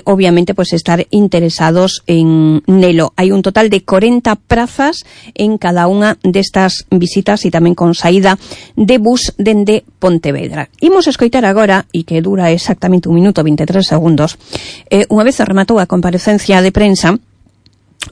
obviamente, pues estar interesados en nelo. Hai un total de 40 prazas en cada unha destas visitas e tamén con saída de bus dende Pontevedra. Imos escoitar agora, e que dura exactamente 1 minuto 23 segundos, unha vez rematou a comparecencia de prensa,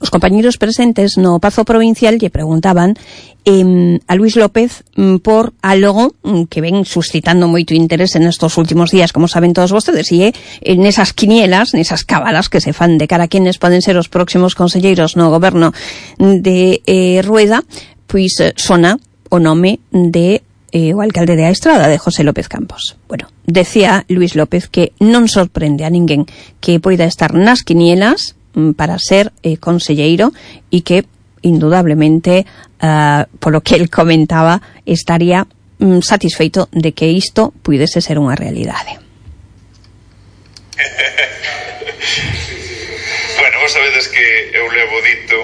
os compañeros presentes no Pazo Provincial lle preguntaban a Luís López por algo que ven suscitando moito interés en estos últimos días, como saben todos vostedes, e nesas quinielas, nesas cábalas que se fan de cara a quenes poden ser os próximos conselleiros no goberno de Rueda, pois sona o nome de o alcalde de A Estrada, de José López Campos. Bueno, decía Luís López que non sorprende a ninguén que poida estar nas quinielas para ser conselleiro e que indudablemente polo que el comentaba estaría satisfeito de que isto puidese ser unha realidade. Bueno, vos sabedes que eu levo dito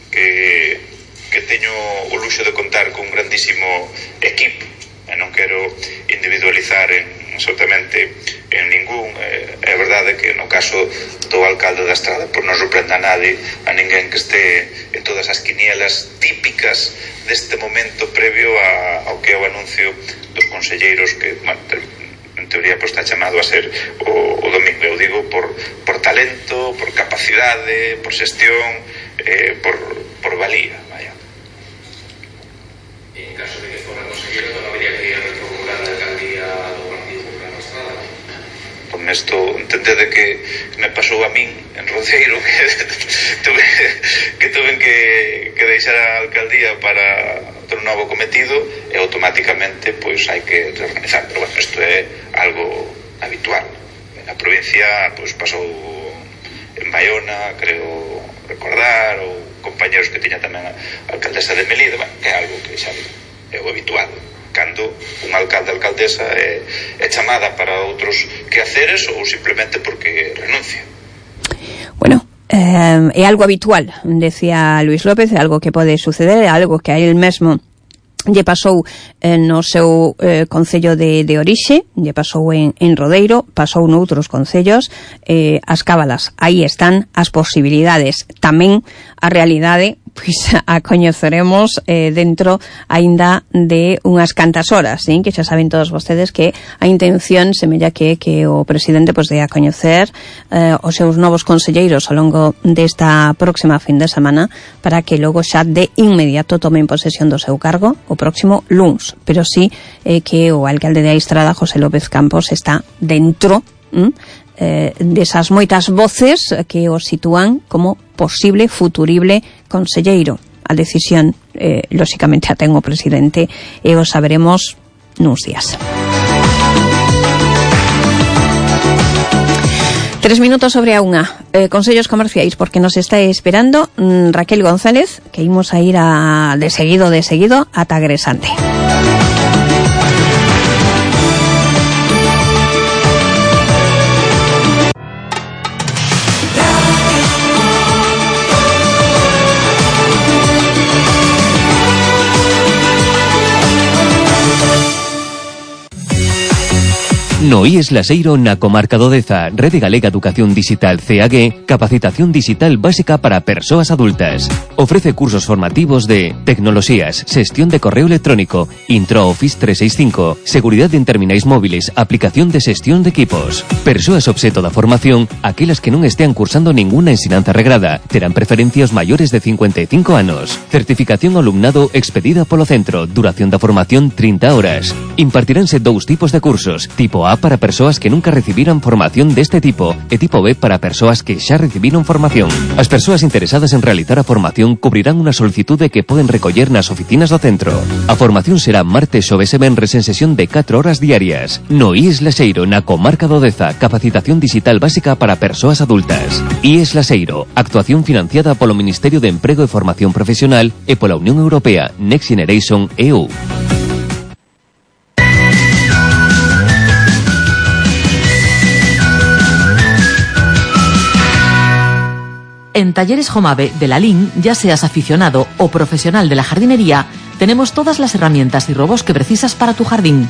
que teño o luxo de contar con un grandísimo equipo e non quero individualizar absolutamente en ningún. É verdade que no caso do alcalde da Estrada por non sorprenda a ninguén que este en todas as quinielas típicas deste momento previo ao que é o anuncio dos conselleiros que, bueno, en teoría pues, está chamado a ser o domingo. Eu digo por talento, por capacidade, por xestión, por valía, vaya. En caso de que fora conselleiro non habría que reformular a alcaldía do Partido Popular da Estrada. Con isto entendede que me pasou a min en Roceiro que tuve que deixar a alcaldía para ter un novo cometido e automáticamente pois hai que reorganizar, pero bueno, isto é algo habitual. Na provincia pois pasou en Baiona, creo recordar, ou compañeros que tiña tamén a alcaldesa de Melide, bueno, que é algo que xa é o habitual cando un alcalde alcaldesa é chamada para outros quehaceres ou simplemente porque renuncia. Bueno, é algo habitual, decía Luís López, é algo que pode suceder, é algo que a él mesmo lle pasou no seu concello de orixe, lle pasou en Rodeiro, pasou noutros concellos. As cábalas, aí están as posibilidades, tamén a realidade pois a coñeceremos dentro aínda de unhas cantas horas, ¿sí? Que xa saben todos vostedes que a intención semella que o presidente pois de a coñecer os seus novos conselleiros ao longo desta próxima fin de semana para que logo xa de inmediato tomen posesión do seu cargo o próximo luns, pero sí que o alcalde de A Estrada, José López Campos, está dentro desas moitas voces que o sitúan como posible, futurible conselleiro. A decisión, lóxicamente, a ten o presidente e o saberemos nuns días. 3 minutos sobre a unha. Consellos comerciais, porque nos está esperando Raquel González, que imos a ir de seguido ata Gresante. No IES Laseiro na comarca do Deza, Rede Galega Educación Digital CAG, capacitación digital básica para persoas adultas. Ofrece cursos formativos de tecnoloxías, xestión de correo electrónico, Intro Office 365, seguridade en terminais móviles, aplicación de xestión de equipos. Persoas obxeto da formación, aquelas que non estean cursando ninguna ensinanza regrada, terán preferencia os maiores de 55 anos. Certificación ao alumnado expedida polo centro, duración da formación 30 horas. Impartiránse 2 tipos de cursos, tipo A para persoas que nunca recibiran formación deste tipo e tipo B para persoas que xa recibiron formación. As persoas interesadas en realizar a formación cubrirán unha solicitude que poden recoller nas oficinas do centro. A formación será martes, xoves e venres en sesión de 4 horas diarias. No IES Laseiro, na comarca do Deza, capacitación digital básica para persoas adultas. IES Laseiro, actuación financiada polo Ministerio de Emprego e Formación Profesional e pola Unión Europea Next Generation EU. En Talleres Jomave de la LIN, ya seas aficionado o profesional de la jardinería, tenemos todas las herramientas y robots que precisas para tu jardín.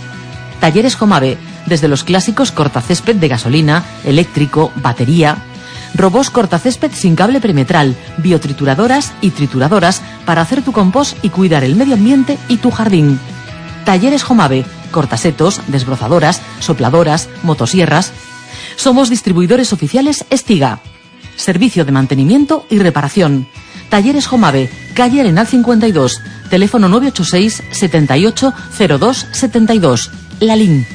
Talleres Jomave, desde los clásicos cortacésped de gasolina, eléctrico, batería, robots cortacésped sin cable perimetral, biotrituradoras y trituradoras para hacer tu compost y cuidar el medio ambiente y tu jardín. Talleres Jomave, cortasetos, desbrozadoras, sopladoras, motosierras. Somos distribuidores oficiales Estiga. Servicio de mantenimiento y reparación. Talleres Jomave, calle Arenal 52, teléfono 986 78 02 72. Lalín.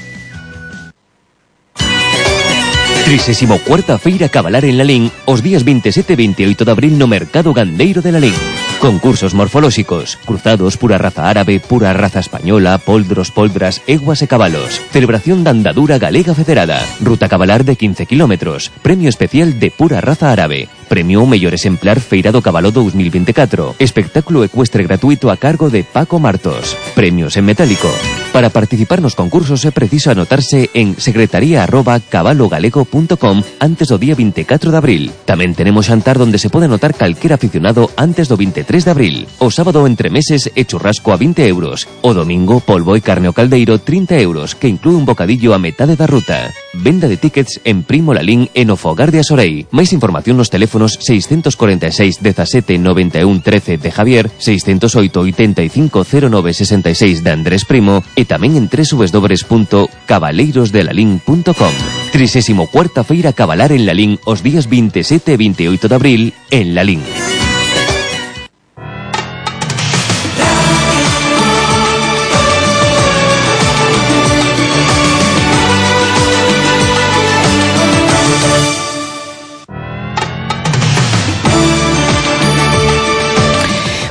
34ª Feira Cabalar en Lalín os días 27 e 28 de abril no Mercado Gandeiro de Lalín. Concursos morfolóxicos, cruzados, pura raza árabe, pura raza española, poldros, poldras, eguas e cabalos. Celebración da andadura galega federada. Ruta cabalar de 15 kilómetros. Premio especial de pura raza árabe. Premio ao mellor exemplar Feira do Cabalo 2024. Espectáculo ecuestre gratuito a cargo de Paco Martos. Premios en metálico. Para participar nos concursos é preciso anotarse en secretaría@cabalogalego.com antes do día 24 de abril. Tamén tenemos xantar donde se pode anotar calquera aficionado antes do 23 de abril. O sábado entre meses e churrasco a 20 euros. O domingo polvo e carne ao caldeiro 30 euros, que inclúe un bocadillo a metade da ruta. Venda de tickets en Primo Lalín e no Fogar de Asorei. Máis información nos teléfonos 646 17 91 13 de Javier, 608 85 09 66 de Andrés Primo e tamén en www.cabaleirosdelalín.com. 34ª Feira Cabalar en Lalín os días 27 e 28 de abril en Lalín.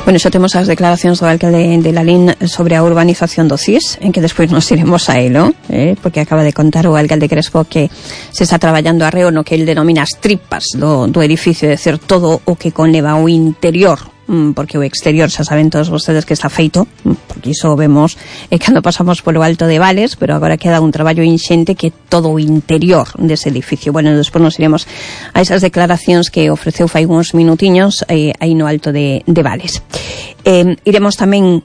Bueno, xa temos as declaracións do alcalde de Lalín sobre a urbanización do CIS, en que despois nos iremos a elo, porque acaba de contar o alcalde Crespo que se está traballando arreo no que el denomina as tripas do edificio, é dicir, todo o que conleva o interior, porque o exterior xa saben todos vostedes que está feito, porque iso vemos cando pasamos polo Alto de Vales, pero agora queda un traballo inxente que todo o interior dese edificio. Bueno, despois nos iremos a esas declaracións que ofreceu fai uns minutiños aí no Alto de Vales. Iremos tamén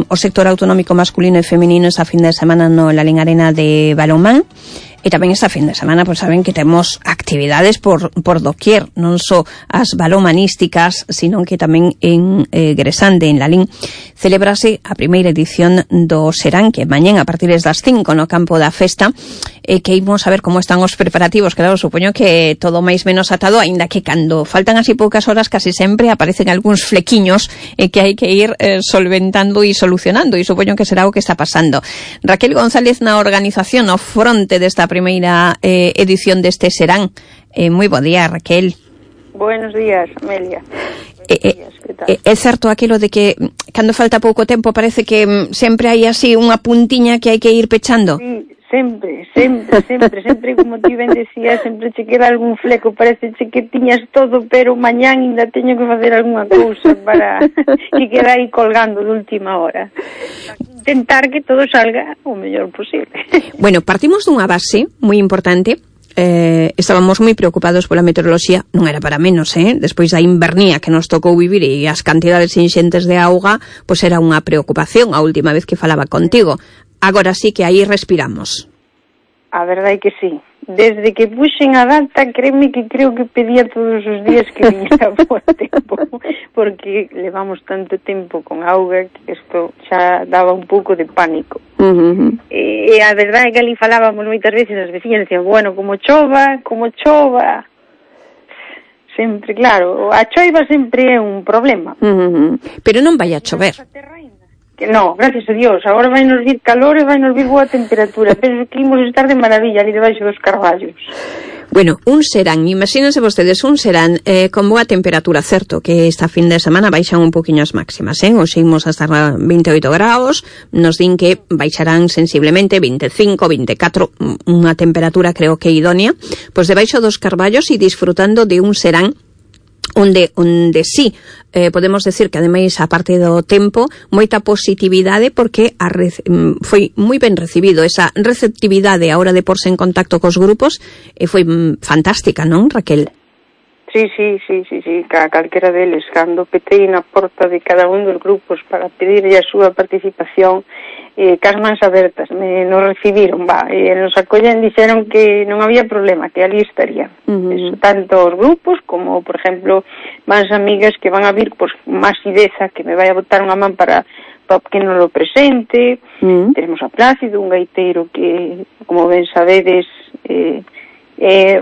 o sector autonómico masculino e feminino esa fin de semana no Lalín Arena de balonmán. E tamén esta fin de semana, pois saben que temos actividades por doquier, non só as balomanísticas, sino que tamén en Gresande, en Lalín, celebrase a primeira edición do Serán, que mañén a partir das 5 no campo da festa, que imos a ver como están os preparativos. Claro, supoño que todo máis menos atado, aínda que cando faltan así poucas horas casi sempre aparecen algúns flequiños que hai que ir solventando e solucionando, e supoño que será o que está pasando. Raquel González na organización, ao fronte desta primeira edición deste Serán. Moi bo día, Raquel. Buenos días, Amelia. É certo aquilo de que cando falta pouco tempo parece que sempre hai así unha puntiña que hai que ir pechando? Sí, sempre, como ti ben decías, sempre che queda algún fleco, parece que tiñas todo, pero mañán ainda teño que facer algunha cousa para que queda aí colgando de última hora. Intentar que todo salga o mellor posible. Bueno, partimos dunha base moi importante. Estábamos moi preocupados pola meteoroloxía, non era para menos, despois da invernía que nos tocou vivir e as cantidades inxentes de auga, pois era unha preocupación a última vez que falaba contigo. Agora sí que aí respiramos. A verdade é que sí. Desde que puxen a data, créeme que creo que pedía todos os días que viñera por tempo, porque levamos tanto tempo con auga que isto xa daba un pouco de pánico. E a verdade é que ali falábamos moitas veces as veciñas, decían, bueno, como chova, sempre, claro, a choiva sempre é un problema. Pero non vai a chover. Que no, gracias a Dios, agora vai nos vir calor e vai nos vir boa temperatura, pero que imos estar de maravilla ali debaixo dos carballos. Bueno, un Serán, imagínense vostedes un Serán con boa temperatura, certo, que esta fin de semana baixan un poquinho as máximas, hoxe imos hasta 28 graus, nos din que baixarán sensiblemente 25, 24, unha temperatura creo que idónea, pois debaixo dos carballos e disfrutando de un Serán onde sí, podemos decir que ademais a parte do tempo, moita positividade porque foi moi ben recibido esa receptividade a hora de porse en contacto cos grupos, foi fantástica, non, Raquel? Sí, calquera deles, cando petei na porta de cada un dos grupos para pedirlle a súa participación, cas mans abertas, nos recibiron, nos acollen, dixeron que non había problema, que ali estarían. Eso, tanto os grupos como, por exemplo, mans amigas que van a vir, pues, máis ideza, que me vai a botar unha man para que non lo presente. Tenemos a Plácido, un gaiteiro que, como ben sabedes,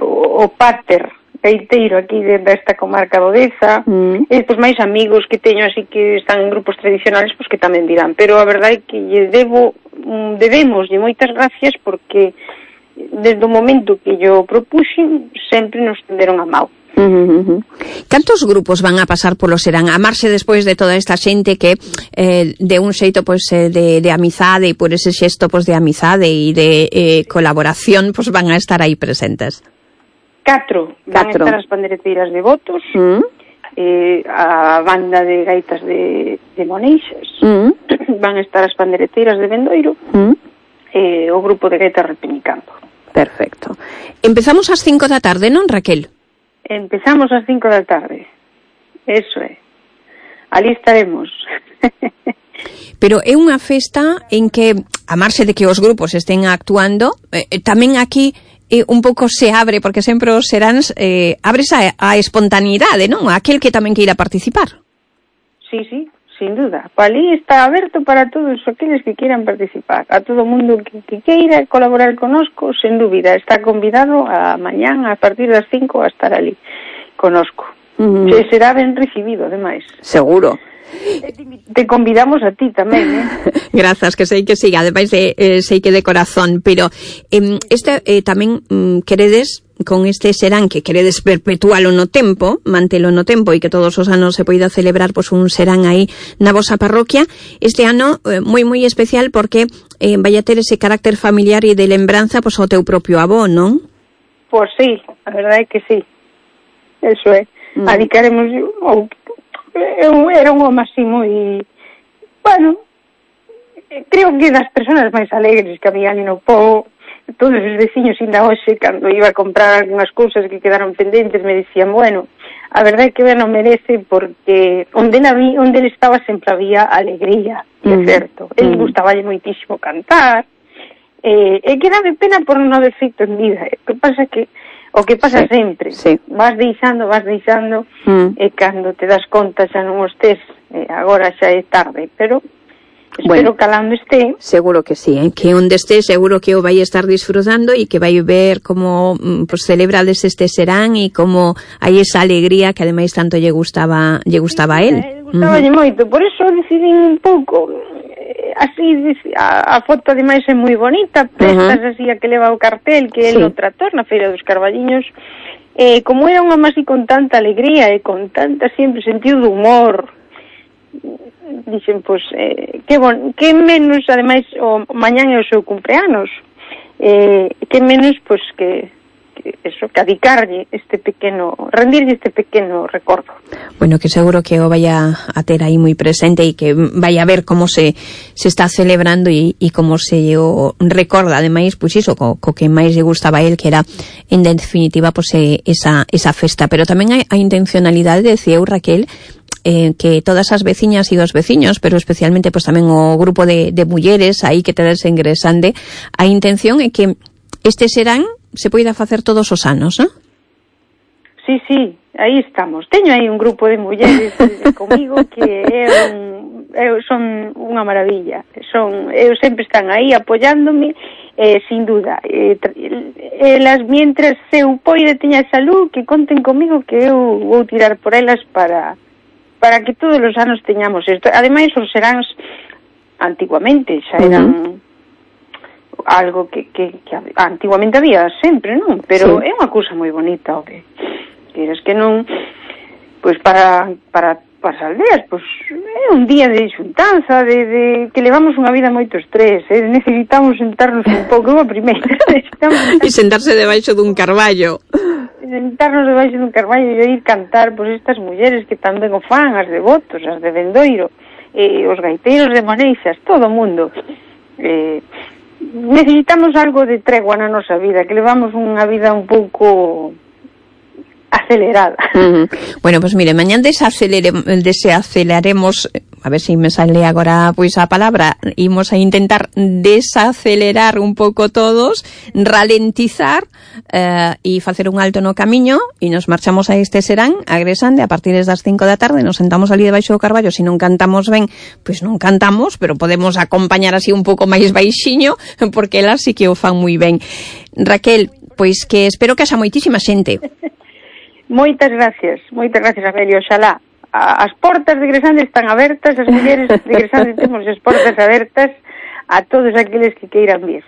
o pater gaiteiro aquí desta comarca do Deza. Estes máis amigos que teño así que están en grupos tradicionales, pois que tamén dirán, pero a verdade é que debemos moitas gracias porque desde o momento que yo propuxen sempre nos tenderon a mão. Cantos grupos van a pasar polo Serán? A marxe despois de toda esta xente que de un xeito pois de amizade e por ese xesto pois de amizade e de colaboración pois van a estar aí presentes. 4 van a estar as pandereteiras de Botos, a banda de gaitas de Moneixas, van a estar as pandereteiras de Bendoiro, o grupo de gaitas Repenicampo. Perfecto. Empezamos ás 5 da tarde, non, Raquel? Empezamos ás 5 da tarde. Eso é. Ali estaremos. Pero é unha festa en que, a marxe de que os grupos estén actuando, tamén aquí un pouco se abre, porque sempre os seráns abres a espontaneidade, non? Aquel que tamén queira participar. Sí, sin duda. Ali está aberto para todos aqueles que queiran participar. A todo mundo que queira colaborar conosco, sen dúbida. Está convidado a mañán, a partir das 5, a estar ali conosco. Será ben recibido, ademais. Seguro. Te convidamos a ti tamén, Grazas, que sei que sí, ademais sei que de corazón, pero tamén queredes con este Serán que queredes perpetualo no tempo, mantelo no tempo e que todos os anos se poida celebrar pois un Serán aí na vosa parroquia. Este ano moi especial porque vai a ter ese carácter familiar e de lembranza pois ao teu propio avó, non? Pois sí, a verdade é que sí. Eso é. Adicaremos era un home así moi, bueno, creo que das persoas máis alegres que había ali no pobo. Todos os veciños ainda hoxe, cando iba a comprar algunhas cousas que quedaron pendentes, me dicían, bueno, a verdade é que non merece porque onde ele estaba sempre había alegría, é certo. Ele gustaballe moitísimo cantar, e que dame pena por non haber feito en vida. O que pasa sempre, vas deixando, e cando te das conta xa non os tes, agora xa é tarde, pero espero que alando este. Seguro que sí, que onde este seguro que o vai estar disfrutando e que vai ver como pues, celebrades este Serán e como hai esa alegría que ademais tanto lle gustaba a él. Gustaballe moito, por eso decidín un pouco así, a foto ademais é moi bonita, prestas así a que leva o cartel que é no Trator na Feira dos Carballiños, como era unha máis con tanta alegría e con tanta sempre sentido de humor, dixen, pois, que menos, ademais, o mañán é o seu cumpleanos, que menos, pois, que adicarlle rendirlle este pequeno recordo. Bueno, que seguro que o vaya a ter aí moi presente e que vaya a ver como se está celebrando e como se o recorda, ademais, pois iso, co que máis lle gustaba a él, que era, en definitiva, pois esa festa. Pero tamén hai a intencionalidade, decía eu, Raquel, que todas as veciñas e os veciños, pero especialmente pois tamén o grupo de mulleres aí que tedes ingresande, a intención é que este Serán se poida facer todos os anos, non? Sí, aí estamos. Teño aí un grupo de mulleres comigo que son unha maravilla. Eu sempre están aí apoiándome, sin duda. Elas, mientras eu poida teña salud, que conten comigo que eu vou tirar por elas para que todos os anos teñamos isto. Ademais, os Seráns antiguamente xa eran algo que antiguamente había sempre, non? Pero é unha cousa moi bonita, o que queres que non, pois para as aldeas, pois é un día de xuntanza, de que levamos unha vida moito estrés, necesitamos sentarnos un pouco, a primeira, e sentarse debaixo dun carballo. Sentarnos debaixo dun carballo e ir cantar, pois estas mulleres que tamén o fan, as de Botos, as de Bendoiro, os gaiteiros de Moneixas, todo o mundo. Necesitamos algo de tregua na nosa vida, que levamos unha vida un pouco acelerada. Bueno, pues mire, mañán desaceleraremos, a ver si me sale agora pois a palabra, imos a intentar desacelerar un pouco todos, ralentizar e facer un alto no camiño e nos marchamos a este serán, a Gresande, a partir das 5 da tarde, nos sentamos ali debaixo do carballo, se non cantamos ben, pois non cantamos, pero podemos acompañar así un pouco máis baixiño, porque elas sí que o fan moi ben. Raquel, pois que espero que haxa moitísima xente. Moitas gracias, Amelia, oxalá. As portas de Gresande están abertas, as mulleres de Gresande temos as portas abertas a todos aqueles que queiran vir.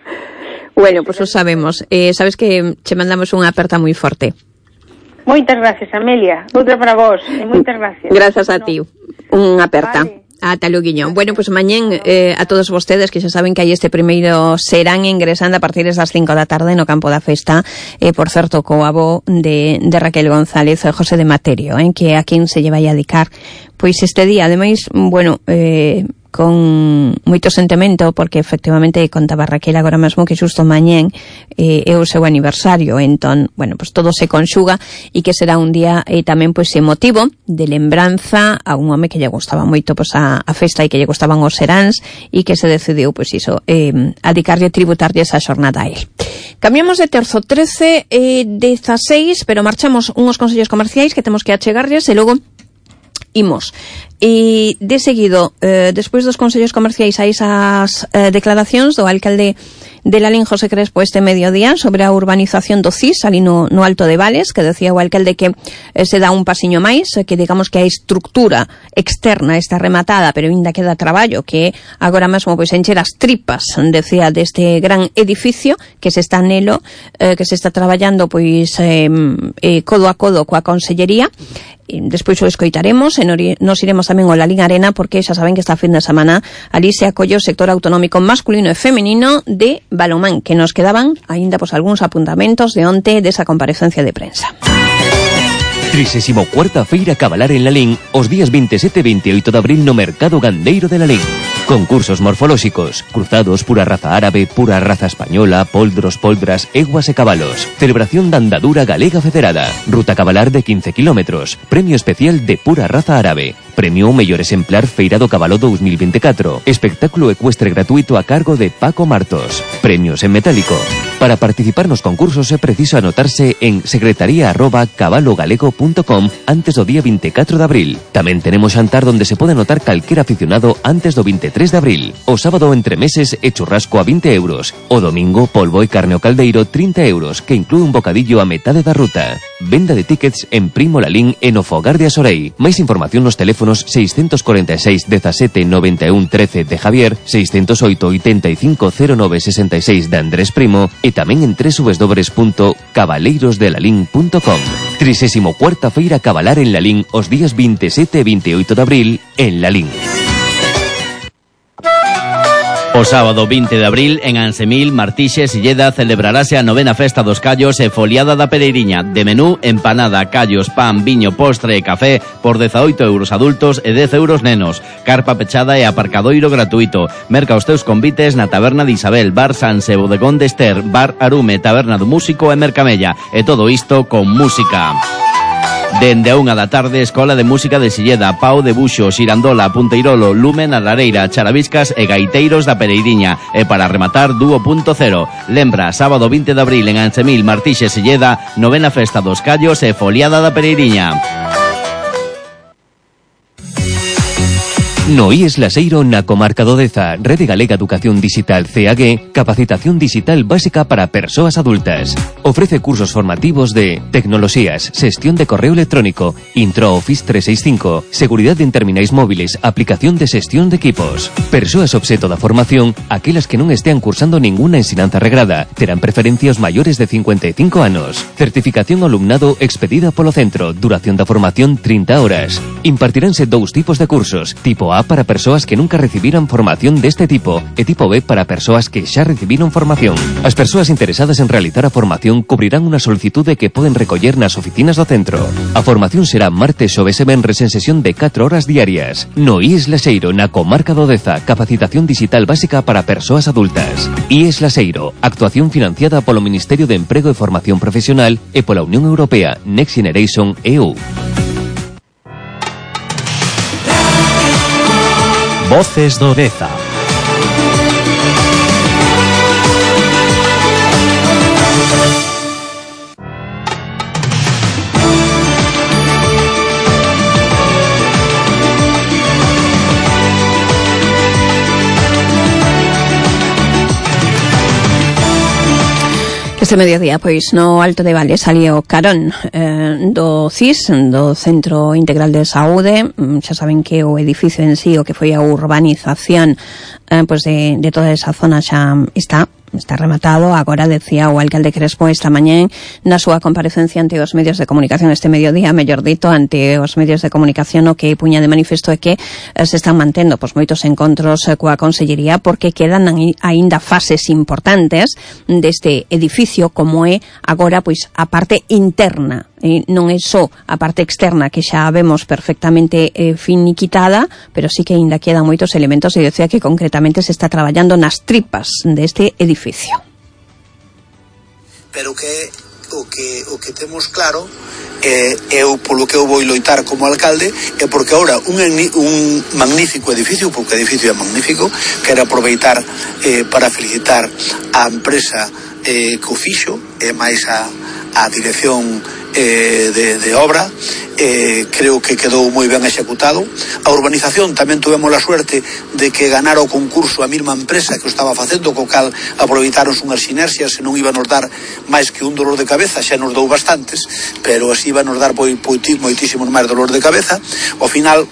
Bueno, pues o sabemos. Sabes que che mandamos unha aperta moi forte. Moitas gracias, Amelia. Outra para vos. Moitas gracias. Gracias a ti. Unha aperta. Vale. Ata loguiño. Bueno, pues mañén a todos vostedes que xa saben que hai este primeiro serán ingresando a partir das 5 da tarde no campo da festa, por certo, co avó de Raquel González, José de Materio, que a quen se lle vai a dedicar pois este día. Ademais, bueno, con moito sentimento, porque efectivamente contaba Raquel agora mesmo que xusto mañén é o seu aniversario, entón, bueno, pues todo se conxuga e que será un día tamén pois emotivo de lembranza a un home que lle gustaba moito pois a festa e que lle gustaban os seráns e que se decidiu pois iso, a dedicarlle, tributarlle esa xornada a él. Cambiamos de terzo, 13 16, pero marchamos unhos consellos comerciais que temos que achegarlles e logo imos. E de seguido, despois dos consellos comerciais hai esas declaracións do alcalde de Lalín, José Crespo, este mediodía sobre a urbanización do CIS ali no Alto de Vales, que decía o alcalde que se dá un pasiño máis, que digamos que a estructura externa está rematada, pero ainda queda traballo, que agora mesmo pois encher as tripas, decía, deste gran edificio que se está nelo, que se está traballando pois codo a codo coa Consellería. Despois o escoitaremos e nos iremos tamén ao Lalín Arena, porque xa saben que esta fin de semana ali se acolle o sector autonómico masculino e feminino de balonmán, que nos quedaban aínda pois algúns apuntamentos de onte desa comparecencia de prensa. 34ª Feira Cabalar en Lalín os días 27 e 28 de abril no Mercado Gandeiro de Lalín. Concursos morfolóxicos, cruzados, pura raza árabe, pura raza española, poldros, poldras, eguas e cabalos. Celebración da andadura galega federada. Ruta cabalar de 15 kilómetros. Premio especial de pura raza árabe. Premio mellor exemplar Feira do Cabalo 2024. Espectáculo ecuestre gratuito a cargo de Paco Martos. Premios en metálico. Para participar nos concursos é preciso anotarse en secretaría@cabalogalego.com antes do día 24 de abril. Tamén tenemos xantar donde se pode anotar calquer aficionado antes do 23 de abril. O sábado entre meses e churrasco a 20 euros. O domingo polvo e carne ao caldeiro 30 euros, que inclúe un bocadillo a metade da ruta. Venda de tickets en Primo Lalín e no Fogar de Asorei. Máis información nos teléfonos 646 17 91 13 de Javier, 608 85 09 66 de Andrés Primo e tamén en www.cabaleirosdelalín.com. 34ª Feira Cabalar en Lalín os días 27 e 28 de abril en Lalín. O sábado 20 de abril, en Ansemil, Martixes, Silleda, celebrarase a 9ª Festa dos Callos e Foliada da Pereiriña. De menú, empanada, callos, pan, viño, postre e café por 18 euros adultos e 10 euros nenos. Carpa pechada e aparcadoiro gratuito. Merca os teus convites na Taberna de Isabel, Bar Sanse, Bodegón de Ester, Bar Arume, Taberna do Músico e Mercamella. E todo isto con música. Dende a 1 da tarde, Escola de Música de Silleda, Pau de Buxo, Xirandola, Punteirolo, Lumen, a Lareira, Charaviscas e Gaiteiros da Pereiriña. E para rematar, Dúo Punto Cero. Lembra, sábado 20 de abril en Ansemil, Martixes, Silleda, 9ª Festa dos Callos e Foliada da Pereiriña. No IES Laseiro na comarca do Deza, Rede Galega Educación Digital CAG, capacitación digital básica para persoas adultas. Ofrece cursos formativos de tecnoloxías, xestión de correo electrónico, Intro Office 365, seguridade en terminais móviles, aplicación de xestión de equipos. Persoas obxeto da formación, aquelas que non estean cursando ninguna ensinanza regrada, terán preferencia os maiores de 55 anos. Certificación ao alumnado expedida polo centro, duración da formación 30 horas. Impartiránse 2 tipos de cursos, tipo A para persoas que nunca recibiran formación deste tipo e tipo B para persoas que xa recibiron formación. As persoas interesadas en realizar a formación cubrirán unha solicitude que poden recoller nas oficinas do centro. A formación será martes, xoves e venres en sesión de 4 horas diarias. No IES Laseiro, na comarca do Deza, capacitación digital básica para persoas adultas. IES Laseiro, actuación financiada polo Ministerio de Emprego e Formación Profesional e pola Unión Europea Next Generation EU. Voces do Deza. Este mediodía, pois, no Alto de Vale salió carón do CIS, do Centro Integral de Saúde. Xa saben que o edificio en sí, o que foi a urbanización pois de toda esa zona xa está rematado. Agora decía o alcalde Crespo esta mañá na súa comparecencia ante os medios de comunicación este mediodía, mellor dito, ante os medios de comunicación, o que puña de manifesto é que se están mantendo pois moitos encontros coa Consellería, porque quedan aínda fases importantes deste edificio, como é agora pois a parte interna, e non é só a parte externa, que xa vemos perfectamente finiquitada, pero sí que aínda quedan moitos elementos, e decía que concretamente se está traballando nas tripas deste edificio. Pero que o que temos claro eu polo que eu vou loitar como alcalde é porque agora un magnífico edificio, porque o edificio é magnífico, quero aproveitar para felicitar a empresa que o fixo e máis a dirección de obra. Creo que quedou moi ben executado. A urbanización tamén tuvemos a suerte de que ganara o concurso a mesma empresa que o estaba facendo, co cal aproveitaron unhas sinerxias, e non iba a nos dar máis que un dolor de cabeza, xa nos dou bastantes, pero así iba a nos dar moitísimos máis dolor de cabeza. Ao final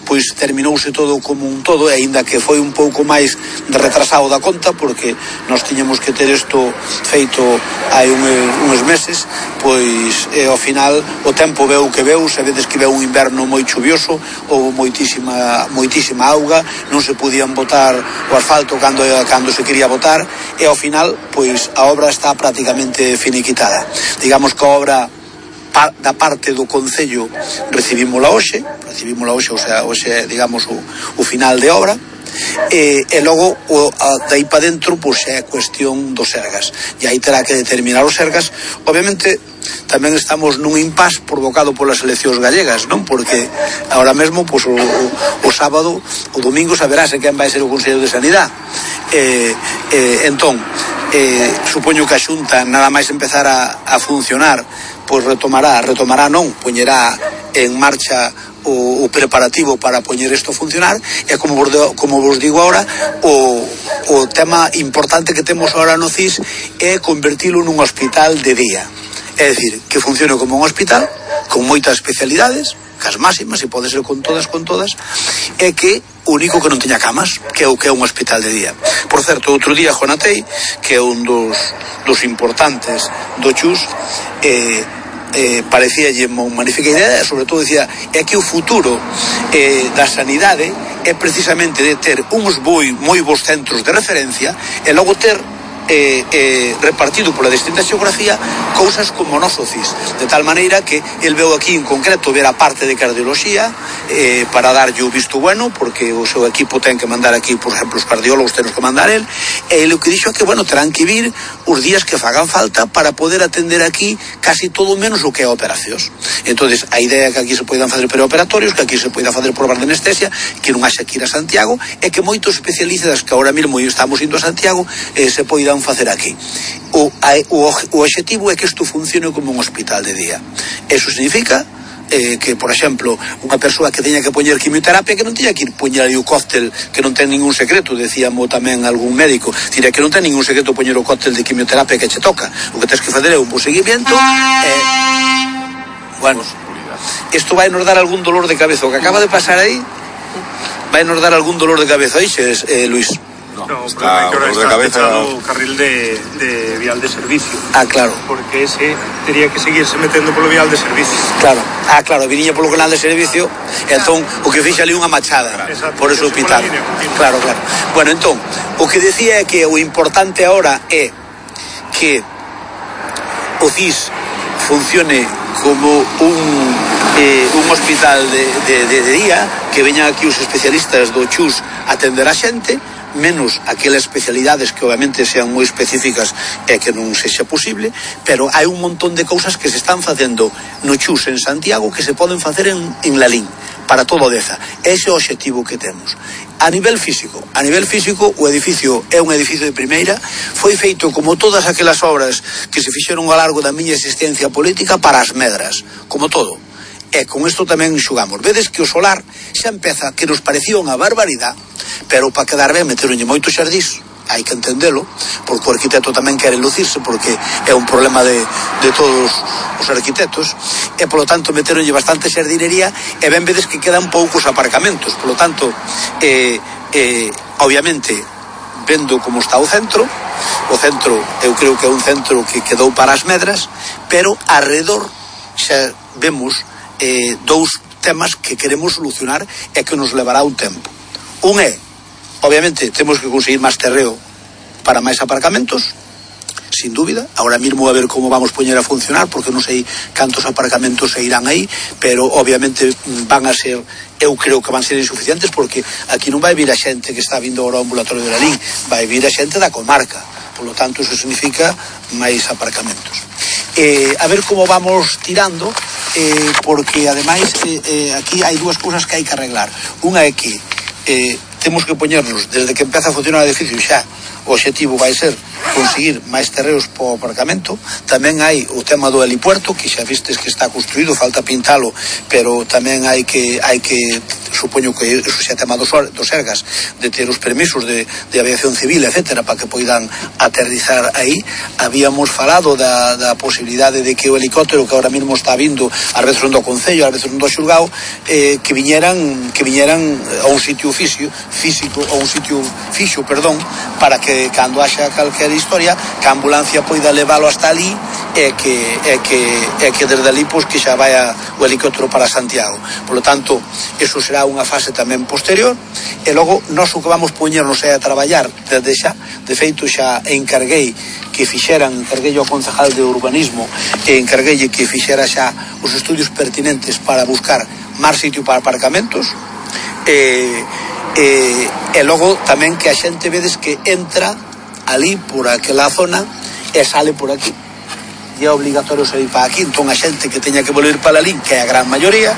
pois terminouse todo como un todo, e aínda que foi un pouco máis de retrasado da conta, porque nós tiñamos que ter isto feito hai uns meses, pois ao final o tempo veu que veu. Sabedes que veu un inverno moi chuvioso, houve moitísima auga, non se podían botar o asfalto cando se quería botar, e ao final pois a obra está prácticamente finiquitada. Digamos que a obra da parte do Concello recibímola hoxe, o sea, hoxe digamos o final de obra, e logo dai para dentro pois é cuestión dos Sergas, e aí terá que determinar os Sergas. Obviamente tamén estamos nun impasse provocado polas eleccións gallegas, non? Porque ahora mesmo pois o sábado, o domingo saberase quen vai ser o Consello de Sanidade. Entón supoño que a Xunta nada máis empezar a funcionar pois retomará non, poñerá en marcha o preparativo para poñer isto a funcionar. E como vos digo ahora, o tema importante que temos ahora no CIS é convertilo nun hospital de día, é dicir, que funcione como un hospital con moitas especialidades, cas máximas, e pode ser con todas, é que o único que non teña camas, que é o que é un hospital de día. Por certo, outro día Jonatei, que é un dos importantes do Chus, parecíalle unha magnífica idea, e sobre todo decía é que o futuro da sanidade é precisamente de ter uns moi bons centros de referencia, e logo ter repartido pola distinta xeografía cousas como o noso CIS, de tal maneira que el veu aquí en concreto ver a parte de cardioloxía para darlle o visto bueno, porque o seu equipo ten que mandar aquí, por exemplo, os cardiólogos temos que mandar el, e ele o que dixo é que, bueno, terán que vir os días que fagan falta para poder atender aquí casi todo menos o que é operacións. Entonces a idea é que aquí se poidan fazer preoperatorios, que aquí se poida fazer probas de anestesia, que non haxa que ir a Santiago, e que moitos especialistas que ahora mesmo estamos indo a Santiago se poidan facer aquí. O obxectivo é que isto funcione como un hospital de día. Eso significa que, por exemplo, unha persoa que teña que poñer quimioterapia, que non teña que ir poñer aí o cóctel, que non ten ningún secreto, decíamos tamén algún médico, que non ten ningún secreto poñer o cóctel de quimioterapia que che toca. O que tens que fazer é un bo seguimiento. Bueno, isto vai nos dar algún dolor de cabeza. O que acaba de pasar aí vai nos dar algún dolor de cabeza, oixes, Luis? No, está o de cabeza o carril de vial de servicio. Ah, claro. Porque ese tería que seguirse metendo polo vial de servicio. Claro. claro, viniña polo canal de servicio, entón o que fixa ali unha machada, por eso o pitar. Claro. Bueno, entón, o que decía é que o importante agora é que o CIS funcione como un hospital de día, que veñan aquí os especialistas do CHUS a atender a xente, menos aquelas especialidades que obviamente sean moi específicas e que non sexa posible, pero hai un montón de cousas que se están facendo no CHUS en Santiago que se poden facer en Lalín, para todo Deza. Ese é o obxectivo que temos. A nivel físico, o edificio é un edificio de primeira, foi feito como todas aquelas obras que se fixeron ao largo da miña existencia política para as medras, como todo. E con isto tamén xugamos. Vedes que o solar xa empeza, que nos parecía unha barbaridade, pero para quedar ben meteronlle moito xardís, hai que entendelo, porque o arquitecto tamén quere lucirse, porque é un problema de todos os arquitectos, e polo tanto meteronlle bastante xardinería, e ben vedes que quedan poucos aparcamentos. Polo tanto, obviamente, vendo como está o centro eu creo que é un centro que quedou para as medras, pero alrededor xa vemos dous temas que queremos solucionar e que nos levará un tempo. Un é, obviamente, temos que conseguir máis terreo para máis aparcamentos, sin dúbida. Ahora mismo a ver como vamos poñer a funcionar, porque non sei cantos aparcamentos se irán aí, pero obviamente van a ser, eu creo que van ser insuficientes, porque aquí non vai vir a xente que está vindo agora ao ambulatorio de Lalín, vai vir a xente da comarca. Por lo tanto, eso significa máis aparcamentos. A ver como vamos tirando, porque ademais aquí hai dúas cousas que hai que arreglar. Unha é que temos que poñernos, desde que empeza a funcionar o edificio xa, o obxectivo vai ser conseguir máis terreos para o aparcamento. Tamén hai o tema do helipuerto, que xa vistes que está construído, falta pintalo, pero tamén hai que supoño que eso xa tema dos Sergas, de ter os permisos de aviación civil, etcétera, para que poidan aterrizar aí. Habíamos falado da posibilidade de que o helicóptero que ahora mismo está vindo, ás veces non do Concello, ás veces non do Xulgao, que viñeran a un sitio físico, ou un sitio fixo, para que cando haxa calquera historia, que a ambulancia poida leválo hasta ali e que desde ali pois que xa vaya o helicóptero para Santiago. Por lo tanto, eso será unha fase tamén posterior, e logo nós o que vamos poñernos é a traballar desde xa. De feito xa encarguei ao concejal de urbanismo e encarguei que fixera xa os estudios pertinentes para buscar máis sitio para aparcamentos, e logo tamén que a xente vedes que entra ali por aquela zona e sale por aquí, e é obligatorio salir para aquí. Entón a xente que teña que volver para Lalín, que é a gran maioría,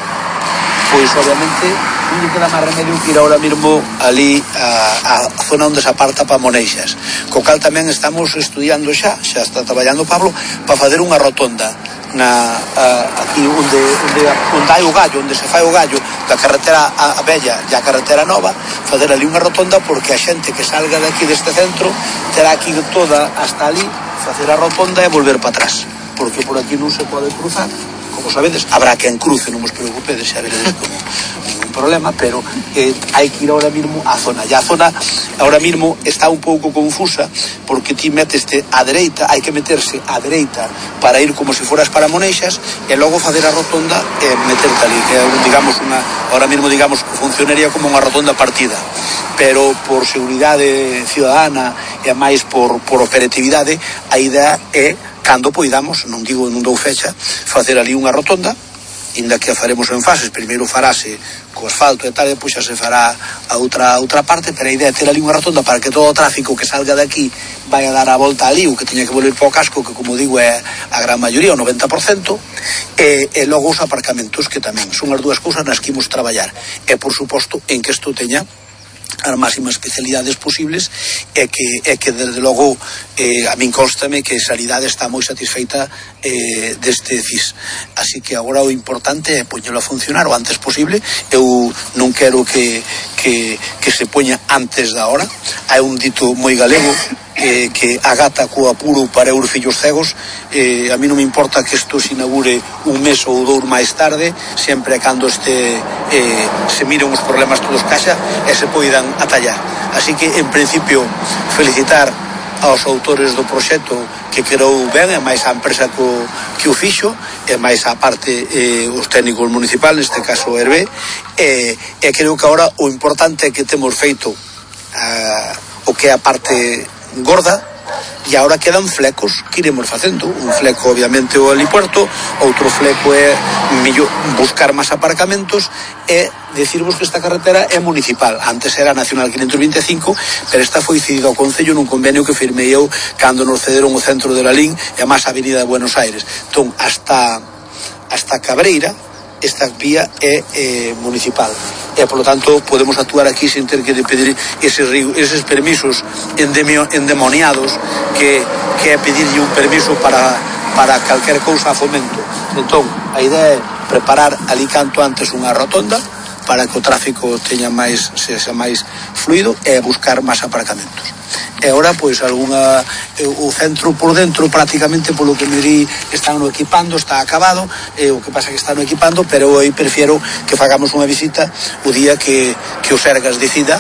pois obviamente non lle queda máis remedio que ir ahora mismo ali a zona onde se aparta para Moneixas, co cal tamén estamos estudiando xa está traballando Pablo para fazer unha rotonda aquí onde hai o gallo, onde se fai o gallo da carretera a vella e a carretera nova, fazer ali unha rotonda, porque a xente que salga de aquí deste centro terá que ir toda hasta ali, facer a rotonda e volver para atrás, porque por aquí non se pode cruzar. Como sabedes, habrá quen cruce, non vos preocupedes, xa veredes como ningún problema, pero hai que ir ahora mismo á zona. E a zona ahora mismo está un pouco confusa, porque ti meteste á dereita, hai que meterse á dereita para ir como se foras para Moneixas, e logo facer a rotonda e meterte ali, que digamos ahora mismo funcionaría como unha rotonda partida, pero por seguridade ciudadana e máis por operatividade, a idea é, cando poidamos, non dou fecha, facer ali unha rotonda, inda que a faremos en fases. Primeiro farase co asfalto e tal, e depois xa se fará a outra parte, pero a idea é ter ali unha rotonda para que todo o tráfico que salga de aquí vai a dar a volta ali, o que teña que volver para o casco, que como digo é a gran maioría, o 90%, e logo os aparcamentos, que tamén son as dúas cousas nas que imos traballar, e por suposto en que isto teña as máximas especialidades posibles, e que desde logo a min constame que Sanidade está moi satisfeita deste CIS. Así que agora o importante é poñelo a funcionar o antes posible. Eu non quero que se poña antes da hora. Hai un dito moi galego que a gata co apuro para os fillos cegos. A mí non me importa que isto se inaugure un mes ou dous máis tarde, sempre cando se miren os problemas todos caixa e se poidan atallar. Así que, en principio, felicitar aos autores do proxecto, que quedou ben, e máis a empresa que o fixo, e máis a parte os técnicos municipales, neste caso o Hervé, e creo que agora o importante é que temos feito o que é a parte gorda, e agora quedan flecos que iremos facendo. Un fleco obviamente o helipuerto, outro fleco é buscar máis aparcamentos e decirvos que esta carretera é municipal. Antes era Nacional 525, pero esta foi cedida ao Concello nun convenio que firmei eu cando nos cederon o centro de Lalín e a máis a Avenida de Buenos Aires. Entón, hasta Cabreira esta vía é municipal e, por lo tanto, podemos actuar aquí sin ter que pedir eses permisos endemoniados que é pedirlle un permiso para calquer cousa a Fomento. Entón, a idea é preparar ali canto antes unha rotonda para que o tráfico sexa máis fluido e buscar máis aparcamentos. E agora, pois, o centro por dentro, prácticamente, polo que me di, están no equipando, está acabado, o que pasa que está no equipando, pero eu prefiero que fagamos unha visita o día que o Sergas decida,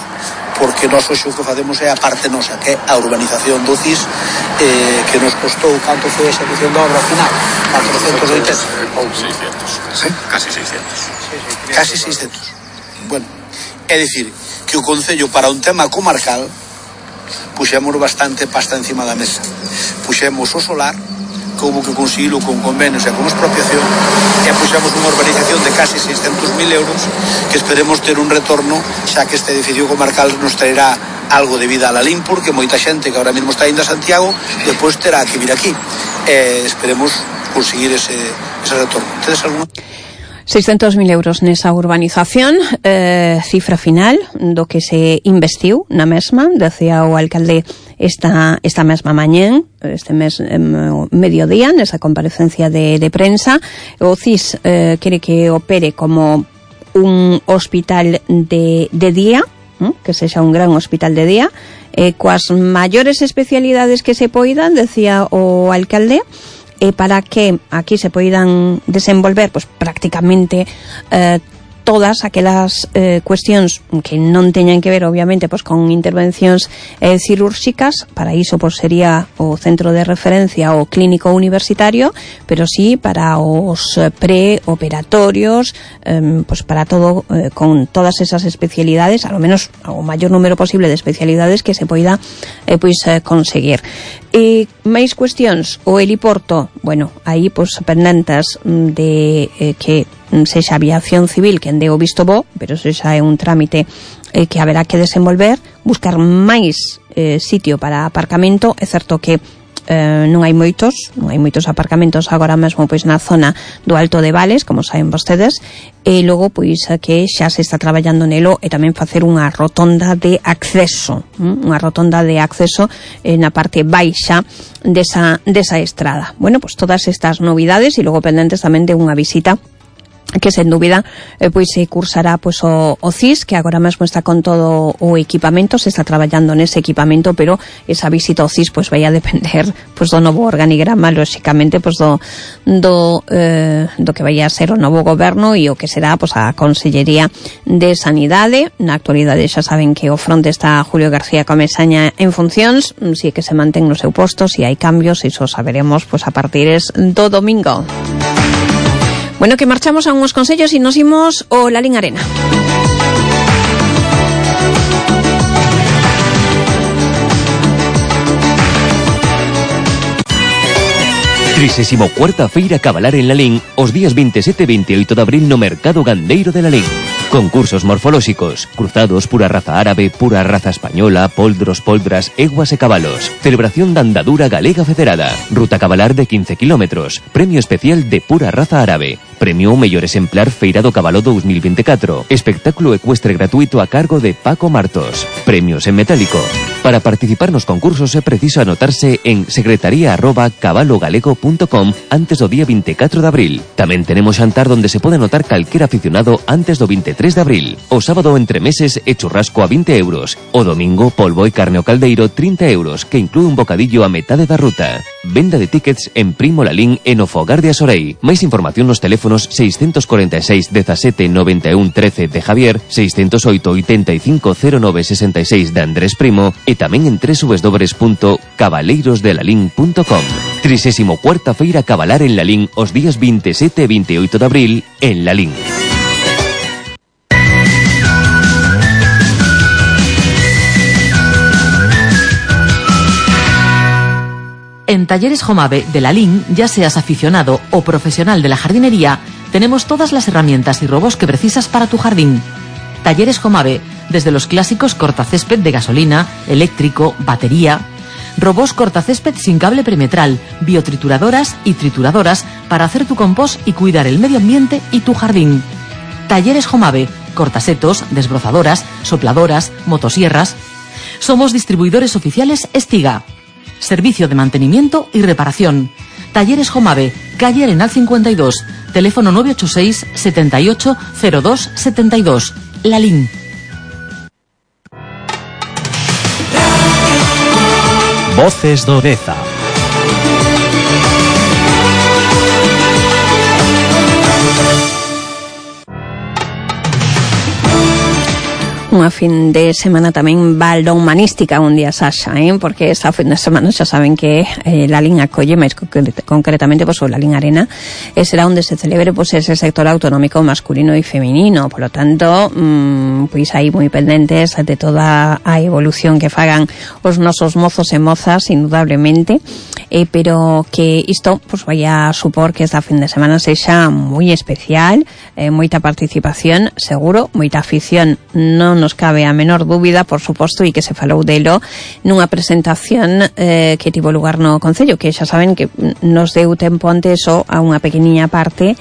porque nós hoxe o que facemos é a parte nosa, que é a urbanización do CIS, que nos costou, canto foi a execución da obra final? 480 ou 600, ¿sí? Casi 600. Casi 600. Bueno, é dicir, que o Concello, para un tema comarcal, puxemos bastante pasta encima da mesa. Puxemos o solar, que houve que conseguilo con convenios e con expropiación, e puxemos unha urbanización de casi 600.000 euros, que esperemos ter un retorno, xa que este edificio comarcal nos traerá algo de vida a Lalín, porque moita xente que ahora mesmo está indo a Santiago depois terá que vir aquí. Esperemos conseguir ese retorno. Tedes alguna? 600.000 euros nesa urbanización, cifra final do que se investiu na mesma, decía o alcalde esta mesma mañén, este mes mediodía, nesa comparecencia de prensa. O CIS quere que opere como un hospital de día, que sexa un gran hospital de día, coas maiores especialidades que se poidan, decía o alcalde, para que aquí se poidan desenvolver pues prácticamente todas aquelas cuestións que non teñan que ver obviamente pues con intervencións cirúrxicas. Para iso pues sería o centro de referencia o clínico universitario, pero sí para os preoperatorios, pues para todo, con todas esas especialidades, a lo menos o maior número posible de especialidades que se poida conseguir. E máis cuestións, o heliporto, bueno, aí pues pendentes de que sexa aviación civil quen dé o visto bo, pero eso xa é un trámite que haberá que desenvolver, buscar máis sitio para aparcamento. É certo que non hai moitos aparcamentos agora mesmo pois na zona do Alto de Vales, como saben vostedes, e logo pois que xa se está traballando nelo e tamén facer unha rotonda de acceso, na parte baixa desa estrada. Bueno, pois todas estas novidades e logo pendentes tamén de unha visita que sen dúbida pois se cursará pois o CIS, que agora mesmo está con todo o equipamento, se está traballando nese equipamento, pero esa visita ao CIS pois vai a depender pois do novo organigrama, lóxicamente pois do que vai a ser o novo goberno e o que será pois a Consellería de Sanidade. Na actualidade xa saben que o fronte está Julio García Comesaña en funcións, si é que se mantén no seu posto, si hai cambios, iso saberemos pois a partir do domingo. Bueno, que marchamos a unhos consellos e nos imos ao Lalín Arena. Cuarta Feira Cabalar en Lalín os días 27 e 28 de abril no Mercado Gandeiro de Lalín. Concursos morfolóxicos, cruzados, pura raza árabe, pura raza española, poldros, poldras, eguas e cabalos. Celebración da andadura galega federada. Ruta cabalar de 15 kilómetros. Premio especial de pura raza árabe. Premio mellor exemplar Feira do Cabalo 2024. Espectáculo ecuestre gratuito a cargo de Paco Martos. Premios en metálico. Para participar nos concursos é preciso anotarse en secretaría@cabalogalego.com antes do día 24 de abril. Tamén tenemos xantar donde se pode anotar calquer aficionado antes do 23 de abril. O sábado entre meses e churrasco a 20 euros. O domingo polvo e carne ao caldeiro 30 euros, que inclúe un bocadillo a metade da ruta. Venda de tickets en Primo Lalín e no Fogar de Asorei. Máis información nos teléfonos teléfonos 646 17 91 13 de Javier, 608 85 09 66 de Andrés Primo e tamén en www.cabaleirosdelalín.com. 34ª Feira Cabalar en Lalín os días 27 e 28 de abril en Lalín. En Talleres Jomave de Lalín, ya seas aficionado o profesional de la jardinería, tenemos todas las herramientas y robots que precisas para tu jardín. Talleres Jomave, desde los clásicos cortacésped de gasolina, eléctrico, batería, robots cortacésped sin cable perimetral, biotrituradoras y trituradoras para hacer tu compost y cuidar el medio ambiente y tu jardín. Talleres Jomave, cortasetos, desbrozadoras, sopladoras, motosierras. Somos distribuidores oficiales Estiga. Servicio de mantenimiento y reparación. Talleres Jomave, calle Arenal 52, teléfono 986 78 02 72. Lalín. Voces do Deza. Unha fin de semana tamén balonmanística un día, Sasha, porque esta fin de semana xa saben que Lalín acolle, máis concretamente o Lalín Arena, será onde se celebre ese sector autonómico masculino e feminino. Por lo tanto, pois aí moi pendentes de toda a evolución que fagan os nosos mozos e mozas, indudablemente, pero que isto vai a supor que esta fin de semana sexa moi especial, moita participación, seguro, moita afición, non nos cabe a menor dúbida, por suposto, e que se falou delo nunha presentación que tivo lugar no Concello, que xa saben que nos deu tempo antes a unha pequeniña parte,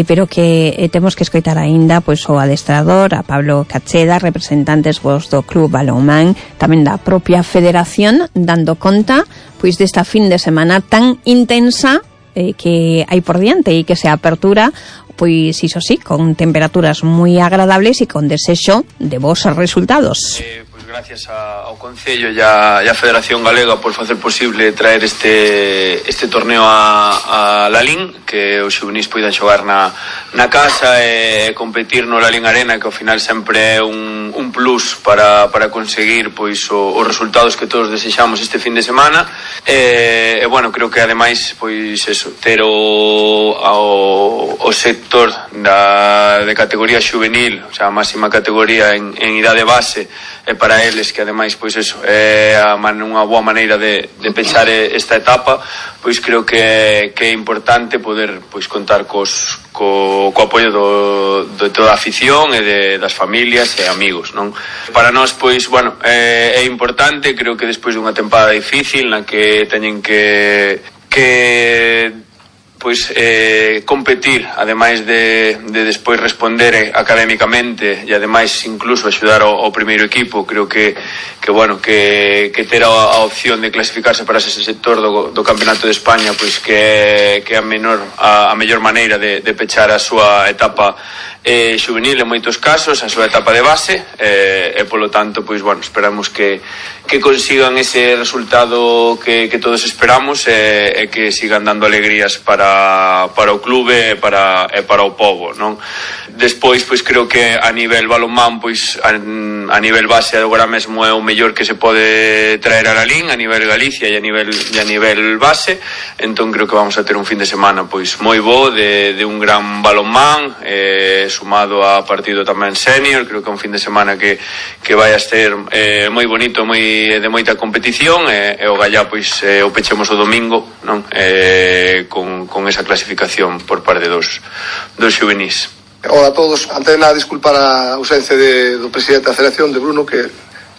pero que temos que escoitar aínda pois o adestrador, a Pablo Cacheda, representantes do Club Balonmán, tamén da propia federación, dando conta pois desta fin de semana tan intensa que hai por diante e que se apertura, pois iso sí, con temperaturas moi agradables e con desexo de bons resultados. Pois gracias ao Concello e a Federación Galega por facer posible traer este torneo a Lalín, que os xuvenís poidan xogar na casa e competir no Lalín Arena, que ao final sempre é un plus para conseguir pois os resultados que todos desexamos este fin de semana. E bueno, creo que ademais pois eso, ter o sector de categoría xuvenil, o sea, a máxima categoría en idade base, para eles, que ademais pois eso é unha boa maneira de pechar esta etapa, pois creo que é importante poder pois contar co apoio de toda a afición e das familias e amigos, non? Para nós, pois, bueno, é importante, creo que despois dunha tempada difícil na que teñen que pois competir, ademais de despois responder académicamente e ademais incluso axudar ao primeiro equipo, creo que bueno, que ter a opción de clasificarse para ese sector do Campeonato de España, pois que é a mellor maneira de pechar a súa etapa xuvenil en moitos casos, a súa etapa de base, e polo tanto, pois bueno, esperamos que consigan ese resultado que todos esperamos e que sigan dando alegrías para o clube e para o pobo, non? Despois, pois creo que a nivel balonmán, pois a nivel base agora mesmo é o mellor que se pode traer a Lalín, a nivel Galicia e a nivel base. Entón creo que vamos a ter un fin de semana pois moi bo de un gran balonmán, sumado a partido tamén senior. Creo que é un fin de semana que vai a ser moi bonito, de moita competición, e o gallá pois o pechemos o domingo, non? Con esa clasificación por parte dos xuvenís. Hola a todos. Antes de nada, disculpar a ausencia do presidente da Federación, de Bruno, que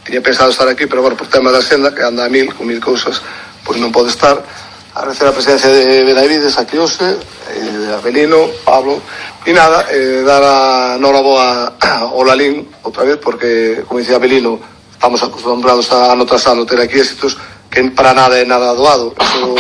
tiña pensado estar aquí, pero bueno, por tema da senda, que anda con mil cousas, pois non pode estar. Agradecer a presencia de Benavides, a Quiose, de Abelino, Pablo, e nada, dar a noraboa ao Lalín outra vez, porque, como dicía Abelino, estamos acostumbrados a noutras anos ter aquí éxitos que para nada é nada doado. Eso,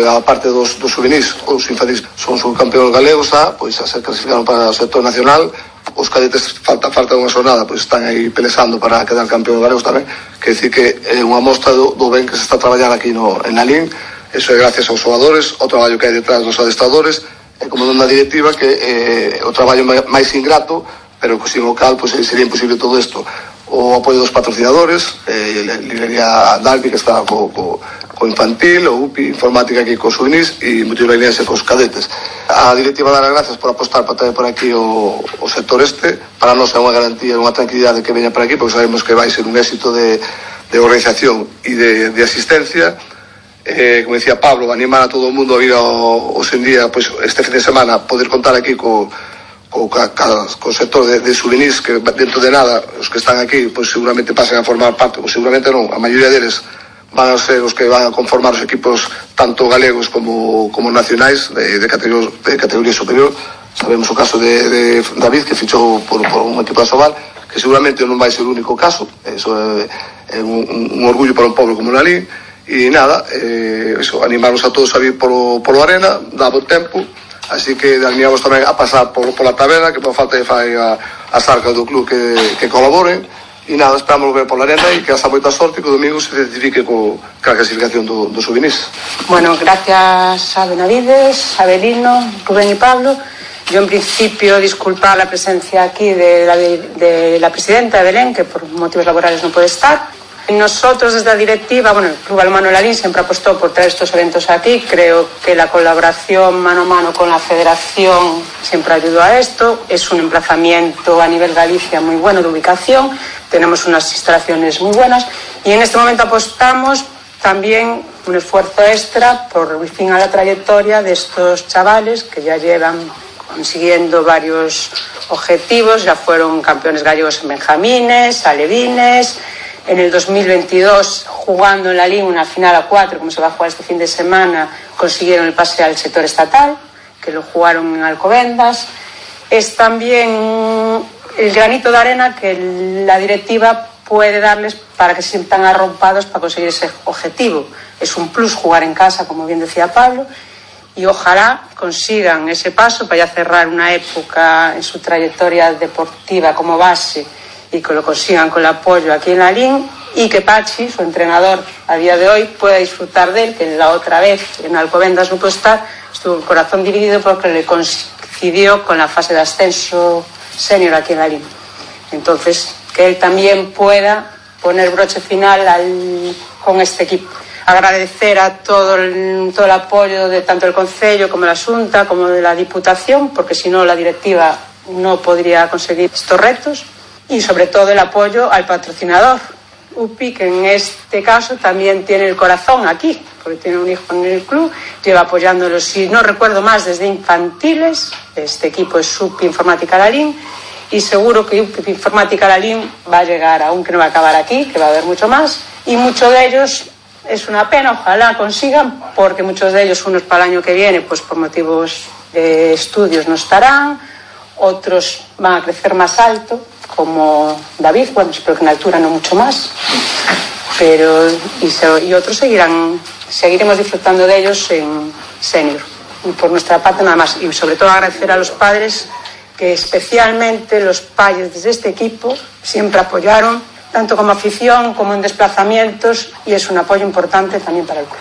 a parte dos juvenis, os infantis son subcampeóns galegos, pois a se clasificaron para o sector nacional. Os cadetes falta unha xornada, pois están aí pelexando para quedar campeóns galegos tamén. Quer dicir que é unha mostra do ben que se está traballando aquí en Lalín. Eso é gracias aos xogadores, o traballo que hai detrás dos adestradores como na directiva que o traballo máis ingrato, pero que sin o cal pues, sería imposible todo isto. O apoio dos patrocinadores, librería Dalby que está co infantil, o UPI Informática aquí co Subenís e Multiurenense cos cadetes. A directiva dar as gracias por apostar para traer por aquí o sector para nós é unha garantía, unha tranquilidade que veña por aquí, porque sabemos que vai ser un éxito de organización e de asistencia. Como decía Pablo, animar a todo o mundo a vir hoxe en día, pues, este fin de semana, poder contar aquí co sector de Subenís, que dentro de nada os que están aquí pues seguramente pasen a formar parte, pues seguramente non, a maioría deles van a ser os que van a conformar os equipos tanto galegos como nacionais de categoría superior. Sabemos o caso de David, que fichou por un equipo de Asobal, que seguramente non vai ser o único caso. Eso é un orgullo para un pobo como Nalín. E nada, animarnos a todos a vir polo arena, dá bo tempo. Así que animamos tamén a pasar pola taberna, que por falta de fai as arcas do club que colaboren. E nada, esperamos ver pola arena e que hasta moita sorte que o domingo se certifique ca clasificación do Subenís. Bueno, gracias a Benavides, a Belino, Rubén y Pablo. Yo en principio disculpar la presencia aquí de la presidenta de Belén, que por motivos laborales no puede estar. Nosotros desde la directiva, el Club Balonmano Lalín siempre apostó por traer estos eventos aquí. Creo que la colaboración mano a mano con la federación siempre ayudó a esto. Es un emplazamiento a nivel Galicia muy bueno de ubicación. Tenemos unas instalaciones muy buenas y en este momento apostamos también un esfuerzo extra por el fin a la trayectoria de estos chavales que ya llevan consiguiendo varios objetivos. Ya fueron campeones gallegos en benjamines, alevines. En el 2022, jugando en la Liga una final a 4, como se va a jugar este fin de semana, consiguieron el pase al sector estatal, que lo jugaron en Alcobendas. Es también el granito de arena que la directiva puede darles para que se sientan arropados para conseguir ese objetivo. Es un plus jugar en casa, como bien decía Pablo, y ojalá consigan ese paso para ya cerrar una época en su trayectoria deportiva como base y que lo consigan con el apoyo aquí en la LIN y que Pachi, su entrenador a día de hoy, pueda disfrutar de él, que la otra vez en Alcobendas no pudo estar, estuvo el corazón dividido porque le coincidió con la fase de ascenso senior aquí en la LIN. Entonces, que él también pueda poner broche final con este equipo. Agradecer a todo el apoyo de tanto el Concello como la Xunta como de la Diputación, porque si no la directiva no podría conseguir estos retos. Y sobre todo el apoyo al patrocinador, UPI, que en este caso también tiene el corazón aquí, porque tiene un hijo en el club, lleva apoyándolos, si no recuerdo más, desde infantiles. Este equipo es UPI Informática Lalín, y seguro que UPI Informática Lalín va a llegar, aunque no va a acabar aquí, que va a haber mucho más, y muchos de ellos es una pena, ojalá consigan, porque muchos de ellos, unos para el año que viene, pues por motivos de estudios no estarán, otros van a crecer más alto, como David, espero que en altura no mucho más, pero y otros seguiremos disfrutando de ellos en senior. Y por nuestra parte nada más, y sobre todo agradecer a los padres, que especialmente los padres de este equipo siempre apoyaron, tanto como afición como en desplazamientos, y es un apoyo importante también para el club.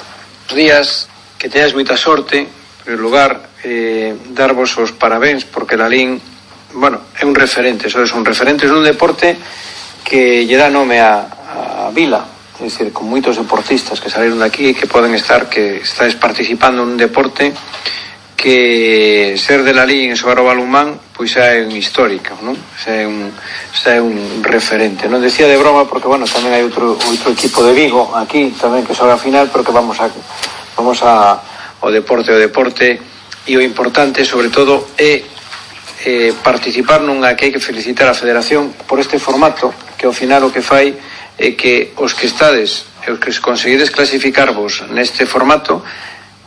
Buenos días, que teñas moita sorte. En primer lugar, darvos os parabéns, porque Lalín é un referente, sois un referente dun deporte que lle dá nome a vila, é dicir, con moitos deportistas que saíron daqui e que poden estar, que estáis participando nun deporte que ser de Lalín e xogar o balonmán pois xa é un histórico, non? Xa é un referente. Non decía de broma porque, tamén hai outro equipo de Vigo aquí tamén que xoga a final, pero que vamos ao deporte e o importante sobre todo é participar nunha que hai que felicitar a Federación por este formato, que ao final o que fai é que os que estades e os que conseguides clasificarvos neste formato,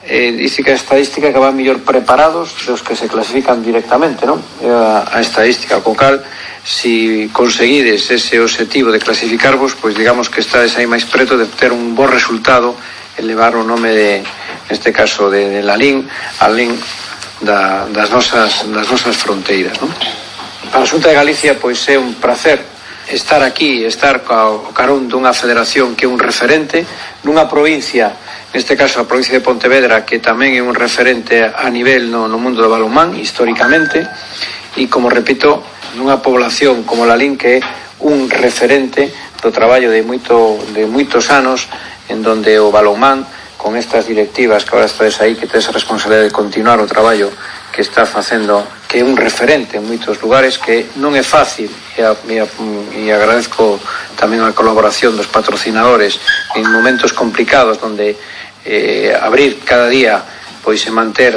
dice que a estadística que van mellor preparados dos que se clasifican directamente, non? A estadística co cal, si conseguides ese objetivo de clasificarvos, pois digamos que estades aí máis preto de ter un bo resultado e levar o nome neste caso de Lalín, alén das nosas fronteiras, non? Para a Xunta de Galicia pois é un placer estar aquí, estar ao carón dunha federación que é un referente nunha provincia neste caso a provincia de Pontevedra, que tamén é un referente a nivel no mundo do balonmán históricamente, e como repito, nunha población como Lalín, que é un referente do traballo de moitos anos, en donde o balonmán, con estas directivas que agora estades aí, que tes a responsabilidade de continuar o traballo que está facendo, que é un referente en moitos lugares, que non é fácil, e agradezco tamén a colaboración dos patrocinadores en momentos complicados, donde abrir cada día, pois e manter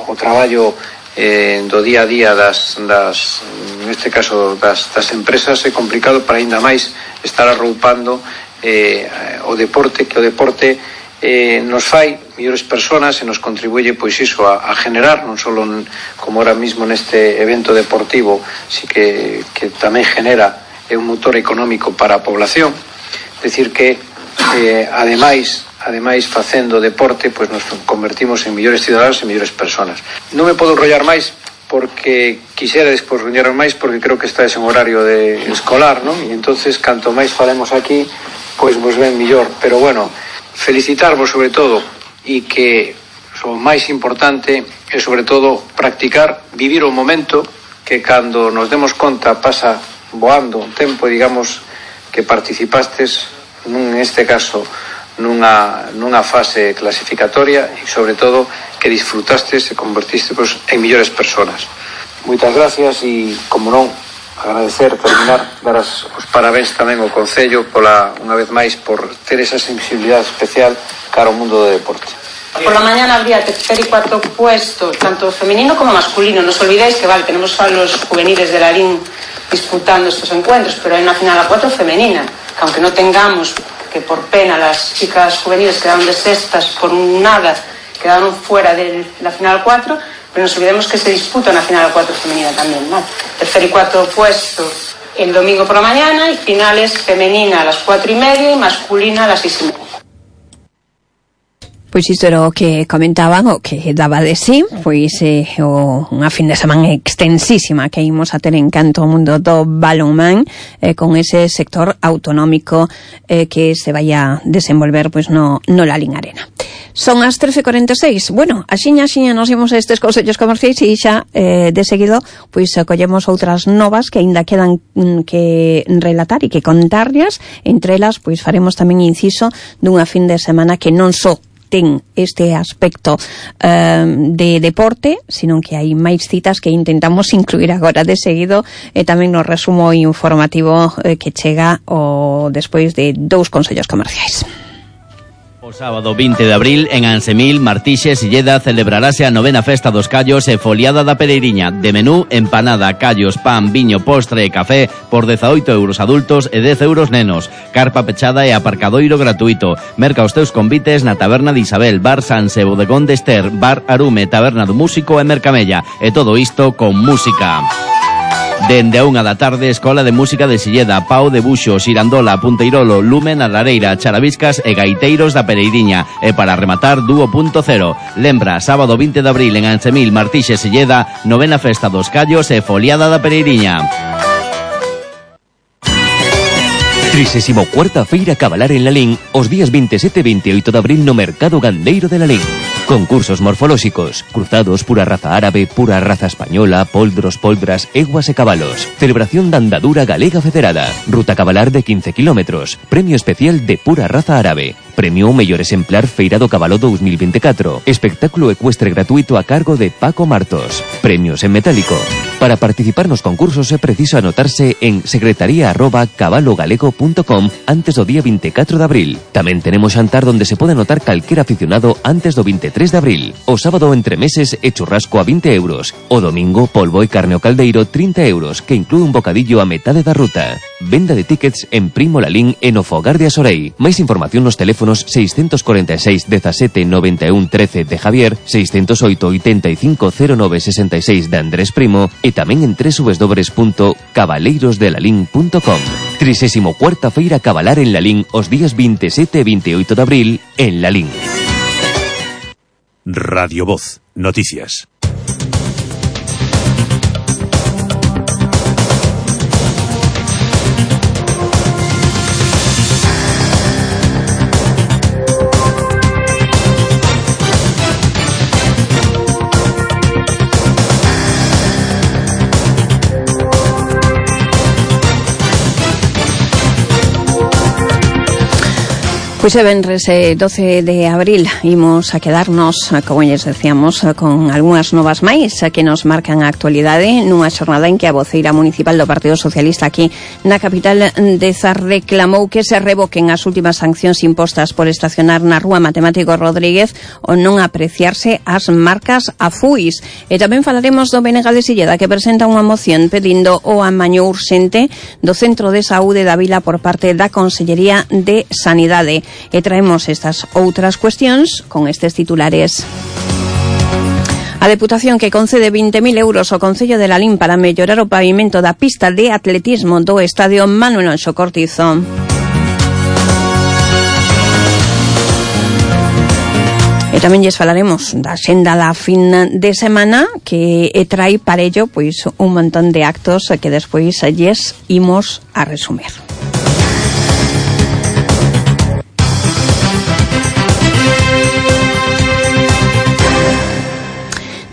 o traballo do día a día neste caso das empresas, é complicado, para aínda máis estar arroupando o deporte, que o deporte nos fai mellores personas e nos contribuye, pois iso, a generar, non só como ahora mismo neste evento deportivo, si que tamén genera un motor económico para a población. Decir que ademais facendo deporte, pois nos convertimos en mellores cidadanos e mellores personas. Non me podo enrollar máis, porque quixera despois enrollar máis, porque creo que está en horario de escolar, non? E entonces, canto máis falemos aquí, pois vos ven millor. Pero bueno, felicitarvos sobre todo, e que o máis importante é sobre todo practicar, vivir o momento, que cando nos demos conta pasa voando un tempo, digamos, que participastes neste caso nunha fase clasificatoria, e sobre todo que disfrutastes e convertistes en millores personas. Moitas gracias, e como non, terminar, dar os parabéns tamén ao Concello unha vez máis por ter esa sensibilidade especial cara ao mundo do deporte. Por la mañana habría tercer y cuarto puesto, tanto femenino como masculino. No os olvidéis que tenemos a los juveniles de Lalín disputando estos encuentros, pero hay una final a 4 femenina, que aunque no tengamos, que por pena las chicas juveniles quedaron de sextas por nada, quedaron fuera de la final 4, pero nos olvidemos que se disputa una final 4 femenina también, ¿no? Tercer y cuarto puesto el domingo por la mañana, y finales femenina a las 4:30 y masculina a las 6:30. Pois isto era o que comentaban, o que daba de sí, pois unha fin de semana extensísima que imos a ter en canto o mundo do balonmán, con ese sector autonómico que se vai a desenvolver pois no Lalín Arena. Son as 13:46. Bueno, axiña nos imos a estes consellos comerciais, e xa de seguido pois acollemos outras novas que aínda quedan que relatar e que contarllas. Entre elas pois faremos tamén inciso dunha fin de semana que non só ten este aspecto de deporte, sino que hai máis citas que intentamos incluir agora de seguido, e tamén no resumo informativo que chega despois de 2 consellos comerciais. O sábado 20 de abril, en Ansemil, Martixes e Lleda, celebrarase a 9ª Festa dos Callos e Foliada da Pereiriña. De menú, empanada, callos, pan, viño, postre e café por 18 euros adultos e 10 euros nenos. Carpa pechada e aparcadoiro gratuito. Merca os teus convites na Taberna de Isabel, Bar Sanse, Bodegón de Ester, Bar Arume, Taberna do Músico e Mercamella. E todo isto con música. Dende a 1 da tarde, Escola de Música de Silleda, Pau de Buxo, Xirandola, Punteirolo, Lumen, a Lareira, Charaviscas e Gaiteiros da Pereiriña. E para rematar, Dúo Punto Cero. Lembra, sábado 20 de abril en Ansemil, Martixes e Silleda, 9ª Festa dos Callos e Foliada da Pereiriña. 34ª Feira Cabalar en Lalín, os días 27 e 28 de abril no Mercado Gandeiro de Lalín. Concursos morfolóxicos, cruzados, pura raza árabe, pura raza española, poldros, poldras, eguas e cabalos. Celebración da andadura galega federada. Ruta cabalar de 15 kilómetros. Premio especial de pura raza árabe. Premio ao mellor exemplar Feira do Cabalo 2024. Espectáculo ecuestre gratuito a cargo de Paco Martos. Premios en metálico. Para participar nos concursos é preciso anotarse en secretaría@cabalogalego.com antes do día 24 de abril. Tamén tenemos xantar donde se pode anotar calquera aficionado antes do 23 de abril. O sábado entre meses e churrasco a 20 euros. O domingo polvo e carne ao caldeiro 30 euros, que inclúe un bocadillo a metade da ruta. Venda de tickets en Primo Lalín e no Fogar de Asorei. Máis información nos teléfonos 646 17 91 13 de Javier, 608 85 09 66 de Andrés Primo e tamén en www.cabaleirosdelalín.com. 34ª Feira Cabalar en Lalín os días 27 e 28 de abril en Lalín. Radio Voz, noticias. Pois é venres 12 de abril imos a quedarnos, como lles decíamos, con algunhas novas máis que nos marcan a actualidade nunha xornada en que a voceira municipal do Partido Socialista aquí na capital de Zar reclamou que se revoquen as últimas sancións impostas por estacionar na Rúa Matemático Rodríguez ou non apreciarse as marcas a fuis. E tamén falaremos do BNG de Silleda, que presenta unha moción pedindo o amaño urxente do Centro de Saúde da Vila por parte da Consellería de Sanidade. E traemos estas outras cuestións con estes titulares. A Deputación que concede 20.000 euros ao Concello de Lalín para mellorar o pavimento da pista de atletismo do Estadio Manuel Anxo Cortizo. E tamén lles falaremos da xenda da fin de semana que trai para ello pois un montón de actos que despois lles imos a resumir.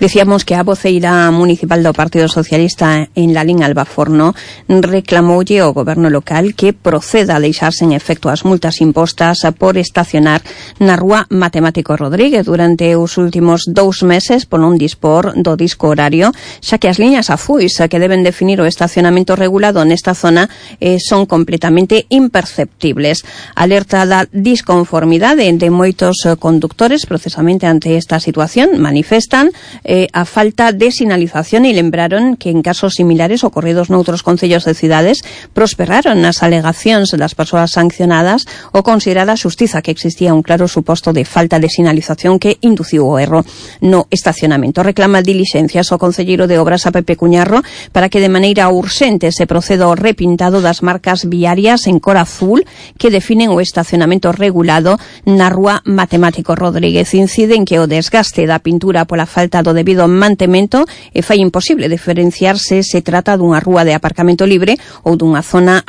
Decíamos que a voceira municipal do Partido Socialista en Lalín, Alba Forno, reclamoulle ao goberno local que proceda a deixar sen efecto as multas impostas por estacionar na Rúa Matemático Rodríguez durante os últimos 2 meses por non dispor do disco horario, xa que as liñas afuis que deben definir o estacionamento regulado nesta zona son completamente imperceptibles. Alerta da disconformidade de moitos conductores precisamente ante esta situación, manifestan a falta de sinalización e lembraron que en casos similares ocorridos noutros concellos de cidades prosperaron as alegacións das persoas sancionadas ou considerada a xustiza que existía un claro suposto de falta de sinalización que induciu o erro no estacionamento. Reclama dilixencias ao concelleiro de Obras a Pepe Cuñarro para que de maneira urxente se proceda ao repintado das marcas viarias en cor azul que definen o estacionamento regulado na Rúa Matemático Rodríguez. Incide en que o desgaste da pintura pola falta do debido mantemento fai imposible diferenciar se se trata dunha rúa de aparcamento libre ou dunha zona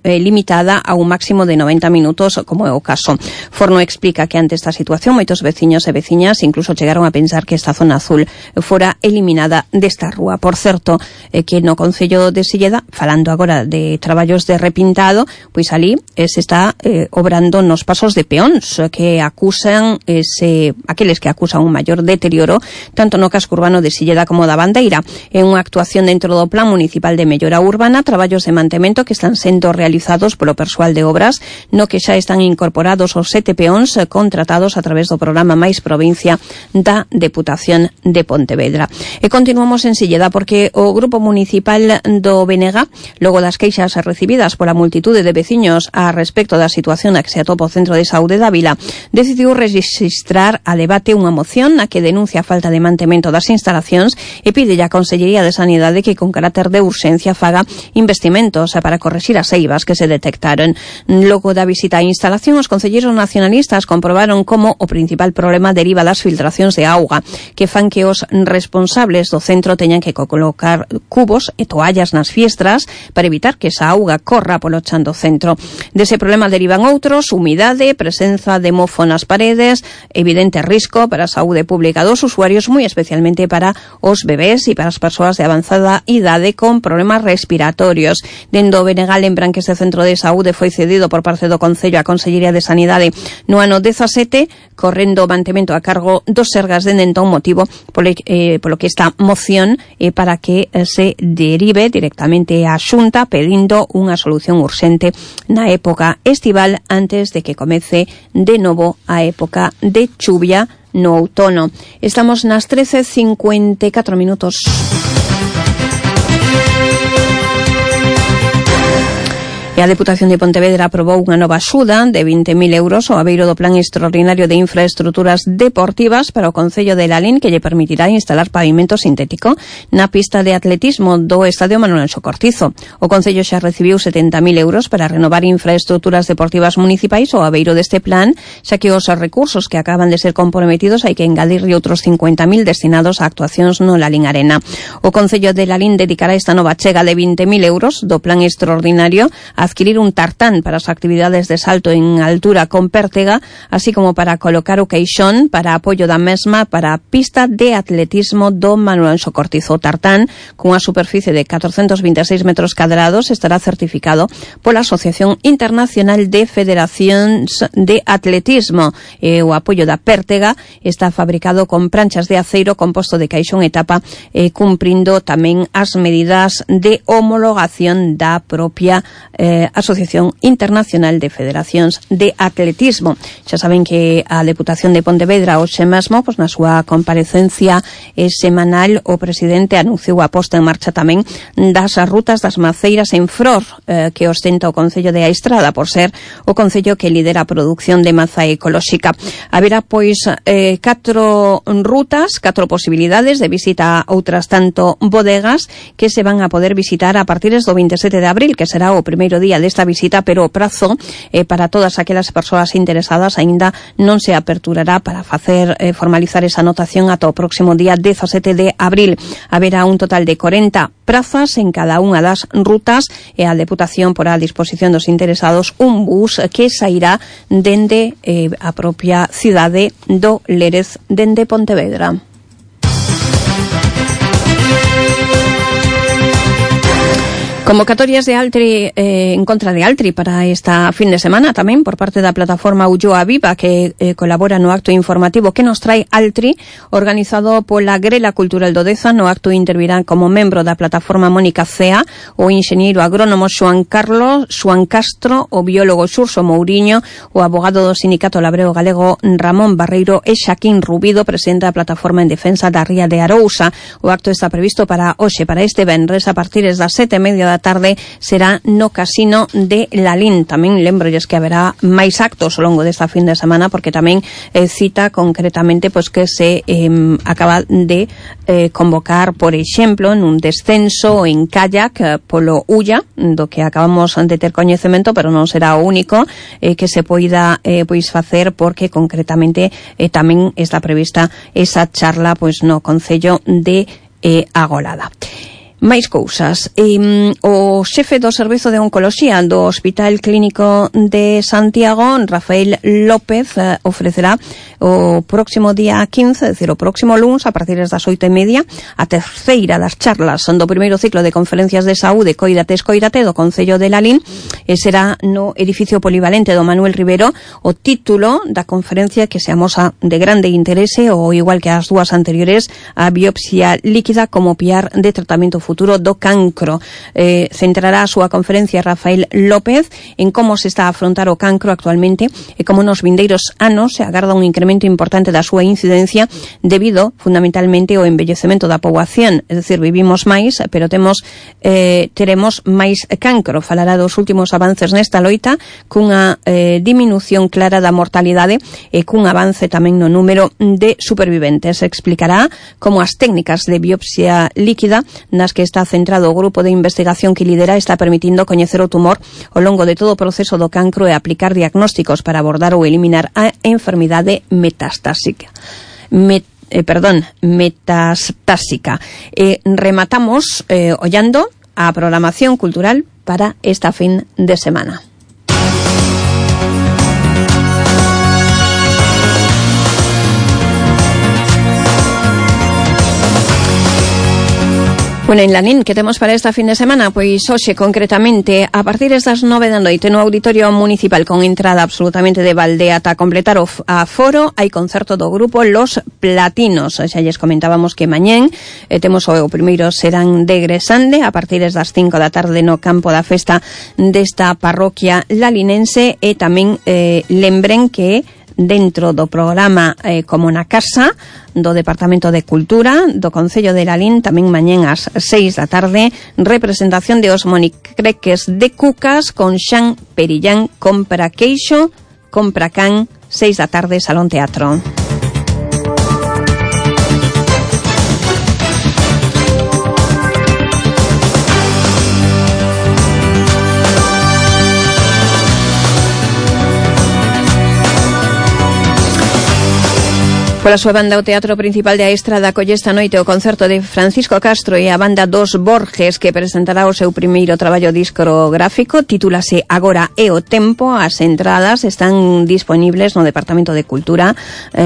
limitada a un máximo de 90 minutos, como é o caso. Forno explica que ante esta situación moitos veciños e veciñas incluso chegaron a pensar que esta zona azul fora eliminada desta rúa. Por certo, que no Concello de Silleda, falando agora de traballos de repintado, pois ali se está obrando nos pasos de peóns que acusan aqueles que acusan un maior deterioro tanto no casco urbano de Silleda como da Bandeira. É unha actuación dentro do Plan Municipal de Mellora Urbana, traballos de mantemento que están sendo realizados polo persoal de obras, no que xa están incorporados os 7 peóns contratados a través do programa Mais Provincia da Deputación de Pontevedra. E continuamos en Silleda porque o Grupo Municipal do BNG, logo das queixas recibidas pola multitude de veciños a respecto da situación na que se atopa o Centro de Saúde da Vila, decidiu registrar a debate unha moción na que denuncia a falta de mantemento das instalacións e pide á Consellería de Sanidade que con carácter de urxencia faga investimentos para correxir as eivas que se detectaron. Logo da visita á instalación, os concelleiros nacionalistas comprobaron como o principal problema deriva das filtracións de auga, que fan que os responsables do centro teñan que colocar cubos e toallas nas fiestras para evitar que esa auga corra polo chan do centro. Dese problema derivan outros: humidade, presenza de mofo nas paredes, evidente risco para a saúde pública dos usuarios, moi especialmente para os bebés e para as persoas de avanzada idade con problemas respiratorios. Dendo o BNG lembran que este centro de saúde foi cedido por parte do Concello á Consellería de Sanidade no ano 17, correndo o mantemento a cargo dos Sergas de entón, motivo polo que esta moción para que se derive directamente á Xunta pedindo unha solución urxente na época estival antes de que comece de novo a época de chuvia no outono. Estamos nas 13:54 minutos. E a Deputación de Pontevedra aprobou unha nova axuda de 20.000 euros ao abeiro do Plan Extraordinario de Infraestructuras Deportivas para o Concello de Lalín, que lle permitirá instalar pavimento sintético na pista de atletismo do Estadio Manuel Anxo Cortizo. O Concello xa recibiu 70.000 euros para renovar infraestructuras deportivas municipais ao abeiro deste plan, xa que os recursos que acaban de ser comprometidos hai que engadirlle outros 50.000 destinados a actuacións no Lalín Arena. O Concello de Lalín dedicará esta nova chega de 20.000 euros do Plan Extraordinario adquirir un tartán para as actividades de salto en altura con pértega, así como para colocar o queixón para apoio da mesma para a pista de atletismo do Manuel Anxo Cortizo. O tartán, cunha superficie de 426 metros cadrados, estará certificado pola Asociación Internacional de Federacións de Atletismo. O apoio da pértega está fabricado con pranchas de aceiro composto de caixón e tapa, cumprindo tamén as medidas de homologación da propia Asociación Internacional de Federacións de Atletismo. Xa saben que a Deputación de Pontevedra hoxe mesmo, na súa comparecencia semanal, o presidente anunciou a posta en marcha tamén das rutas das maceiras en Fror, que ostenta o Concello de Aistrada por ser o concello que lidera a produción de maza ecolóxica. Haberá, pois, 4 rutas, 4 posibilidades de visita a outras tanto bodegas que se van a poder visitar a partir do 27 de abril, que será o primeiro día desta visita, pero o prazo para todas aquelas persoas interesadas aínda non se aperturará para facer formalizar esa anotación ata o próximo día 17 de abril. Haberá un total de 40 prazas en cada unha das rutas e a Deputación porá a disposición dos interesados un bus que sairá dende a propia cidade do Lérez, dende Pontevedra. Convocatorias de Altri en contra de Altri para esta fin de semana tamén por parte da plataforma Ulloa Viva, que colabora no acto informativo que nos trae Altri, organizado pola Grela Cultural do Deza. No acto intervirán como membro da plataforma Mónica Cea, o enxeñeiro agrónomo Xoan Castro, o biólogo Xurso Mouriño, o abogado do Sindicato Labreo Galego Ramón Barreiro e Xaquín Rubido, presidente da plataforma en defensa da Ría de Arousa. O acto está previsto para hoxe, para este venres, a partir das 7:30 da tarde, será no Casino de Lalín. Tamén lembrolles que haberá máis actos ao longo desta fin de semana, porque tamén cita concretamente pois que se acaba de convocar, por exemplo, nun descenso en kayak polo Ulla, do que acabamos de ter coñecemento, pero non será o único que se poida pois facer, porque concretamente tamén está prevista esa charla pois no Concello de Agolada. Máis cousas. O xefe do Servizo de Oncoloxía do Hospital Clínico de Santiago, Rafael López, ofrecerá o próximo día 15, é dicir, o próximo luns, a partir das 8:30, a terceira das charlas do primeiro ciclo de conferencias de saúde Coídate, Escoídate do Concello de Lalín, e será no edificio polivalente do Manuel Rivero. O título da conferencia, que se amosa de grande interese, ou igual que as dúas anteriores, a biopsia líquida como piar de tratamento futuro do cancro. Centrará a súa conferencia Rafael López en como se está a afrontar o cancro actualmente e como nos vindeiros anos se agarda un incremento importante da súa incidencia debido fundamentalmente ao envellecemento da poboación, é dicir, vivimos máis, pero teremos máis cancro. Falará dos últimos avances nesta loita, cunha diminución clara da mortalidade e cun avance tamén no número de superviventes. Explicará como as técnicas de biopsia líquida nas que está centrado o grupo de investigación que lidera está permitindo coñecer o tumor ao longo de todo o proceso do cancro e aplicar diagnósticos para abordar ou eliminar a enfermidade metastásica. Rematamos ollando a programación cultural para esta fin de semana. Bueno, en Lalín, que temos para esta fin de semana? Pois hoxe, concretamente, a partir das 9 da noite, no Auditorio Municipal, con entrada absolutamente de balde ata completar o aforo, hai concerto do grupo Los Platinos. Xa lles comentábamos que mañén temos o primeiro serán de Gresande, a partir das 5 da tarde no campo da festa desta parroquia lalinense, e tamén lembren que dentro do programa Como na Casa do Departamento de Cultura do Concello de Lalín, tamén mañén ás 6 da tarde, representación de os monicreques de Cucas con Xan Perillán, Compra Queixo, Compra Can, 6 da tarde, Salón Teatro. Pola súa banda, o Teatro Principal de Aestrada acolle esta noite o concerto de Francisco Castro e a banda Dos Borges, que presentará o seu primeiro traballo discográfico. Titúlase Agora é o Tempo. As entradas están disponibles no Departamento de Cultura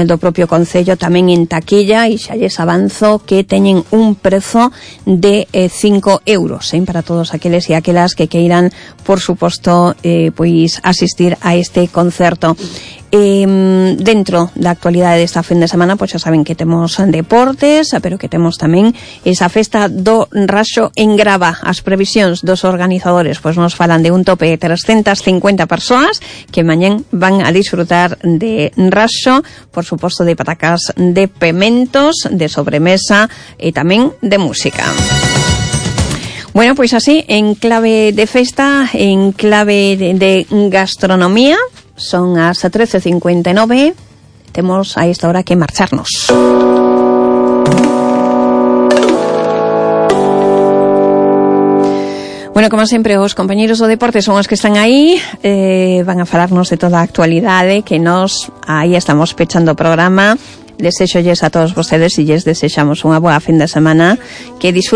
do propio Concello, tamén en taquilla, e xa lles avanzo que teñen un prezo de 5 euros, para todos aqueles e aquelas que queiran, por suposto, pois asistir a este concerto. Dentro da actualidade desta fin de semana, pois xa saben que temos deportes, pero que temos tamén esa festa do Raxo en Grava. As previsións dos organizadores pois nos falan de un tope de 350 persoas que mañén van a disfrutar de Raxo, por suposto de patacas de pementos, de sobremesa e tamén de música. Bueno, pois así, en clave de festa, en clave de gastronomía, son as 13:59, temos a esta hora que marcharnos. Bueno, como sempre, os compañeros do deporte son os que están aí, van a falarnos de toda a actualidade, que nos aí estamos pechando o programa. Desexolles a todos vostedes e lles desexamos unha boa fin de semana, que disfruten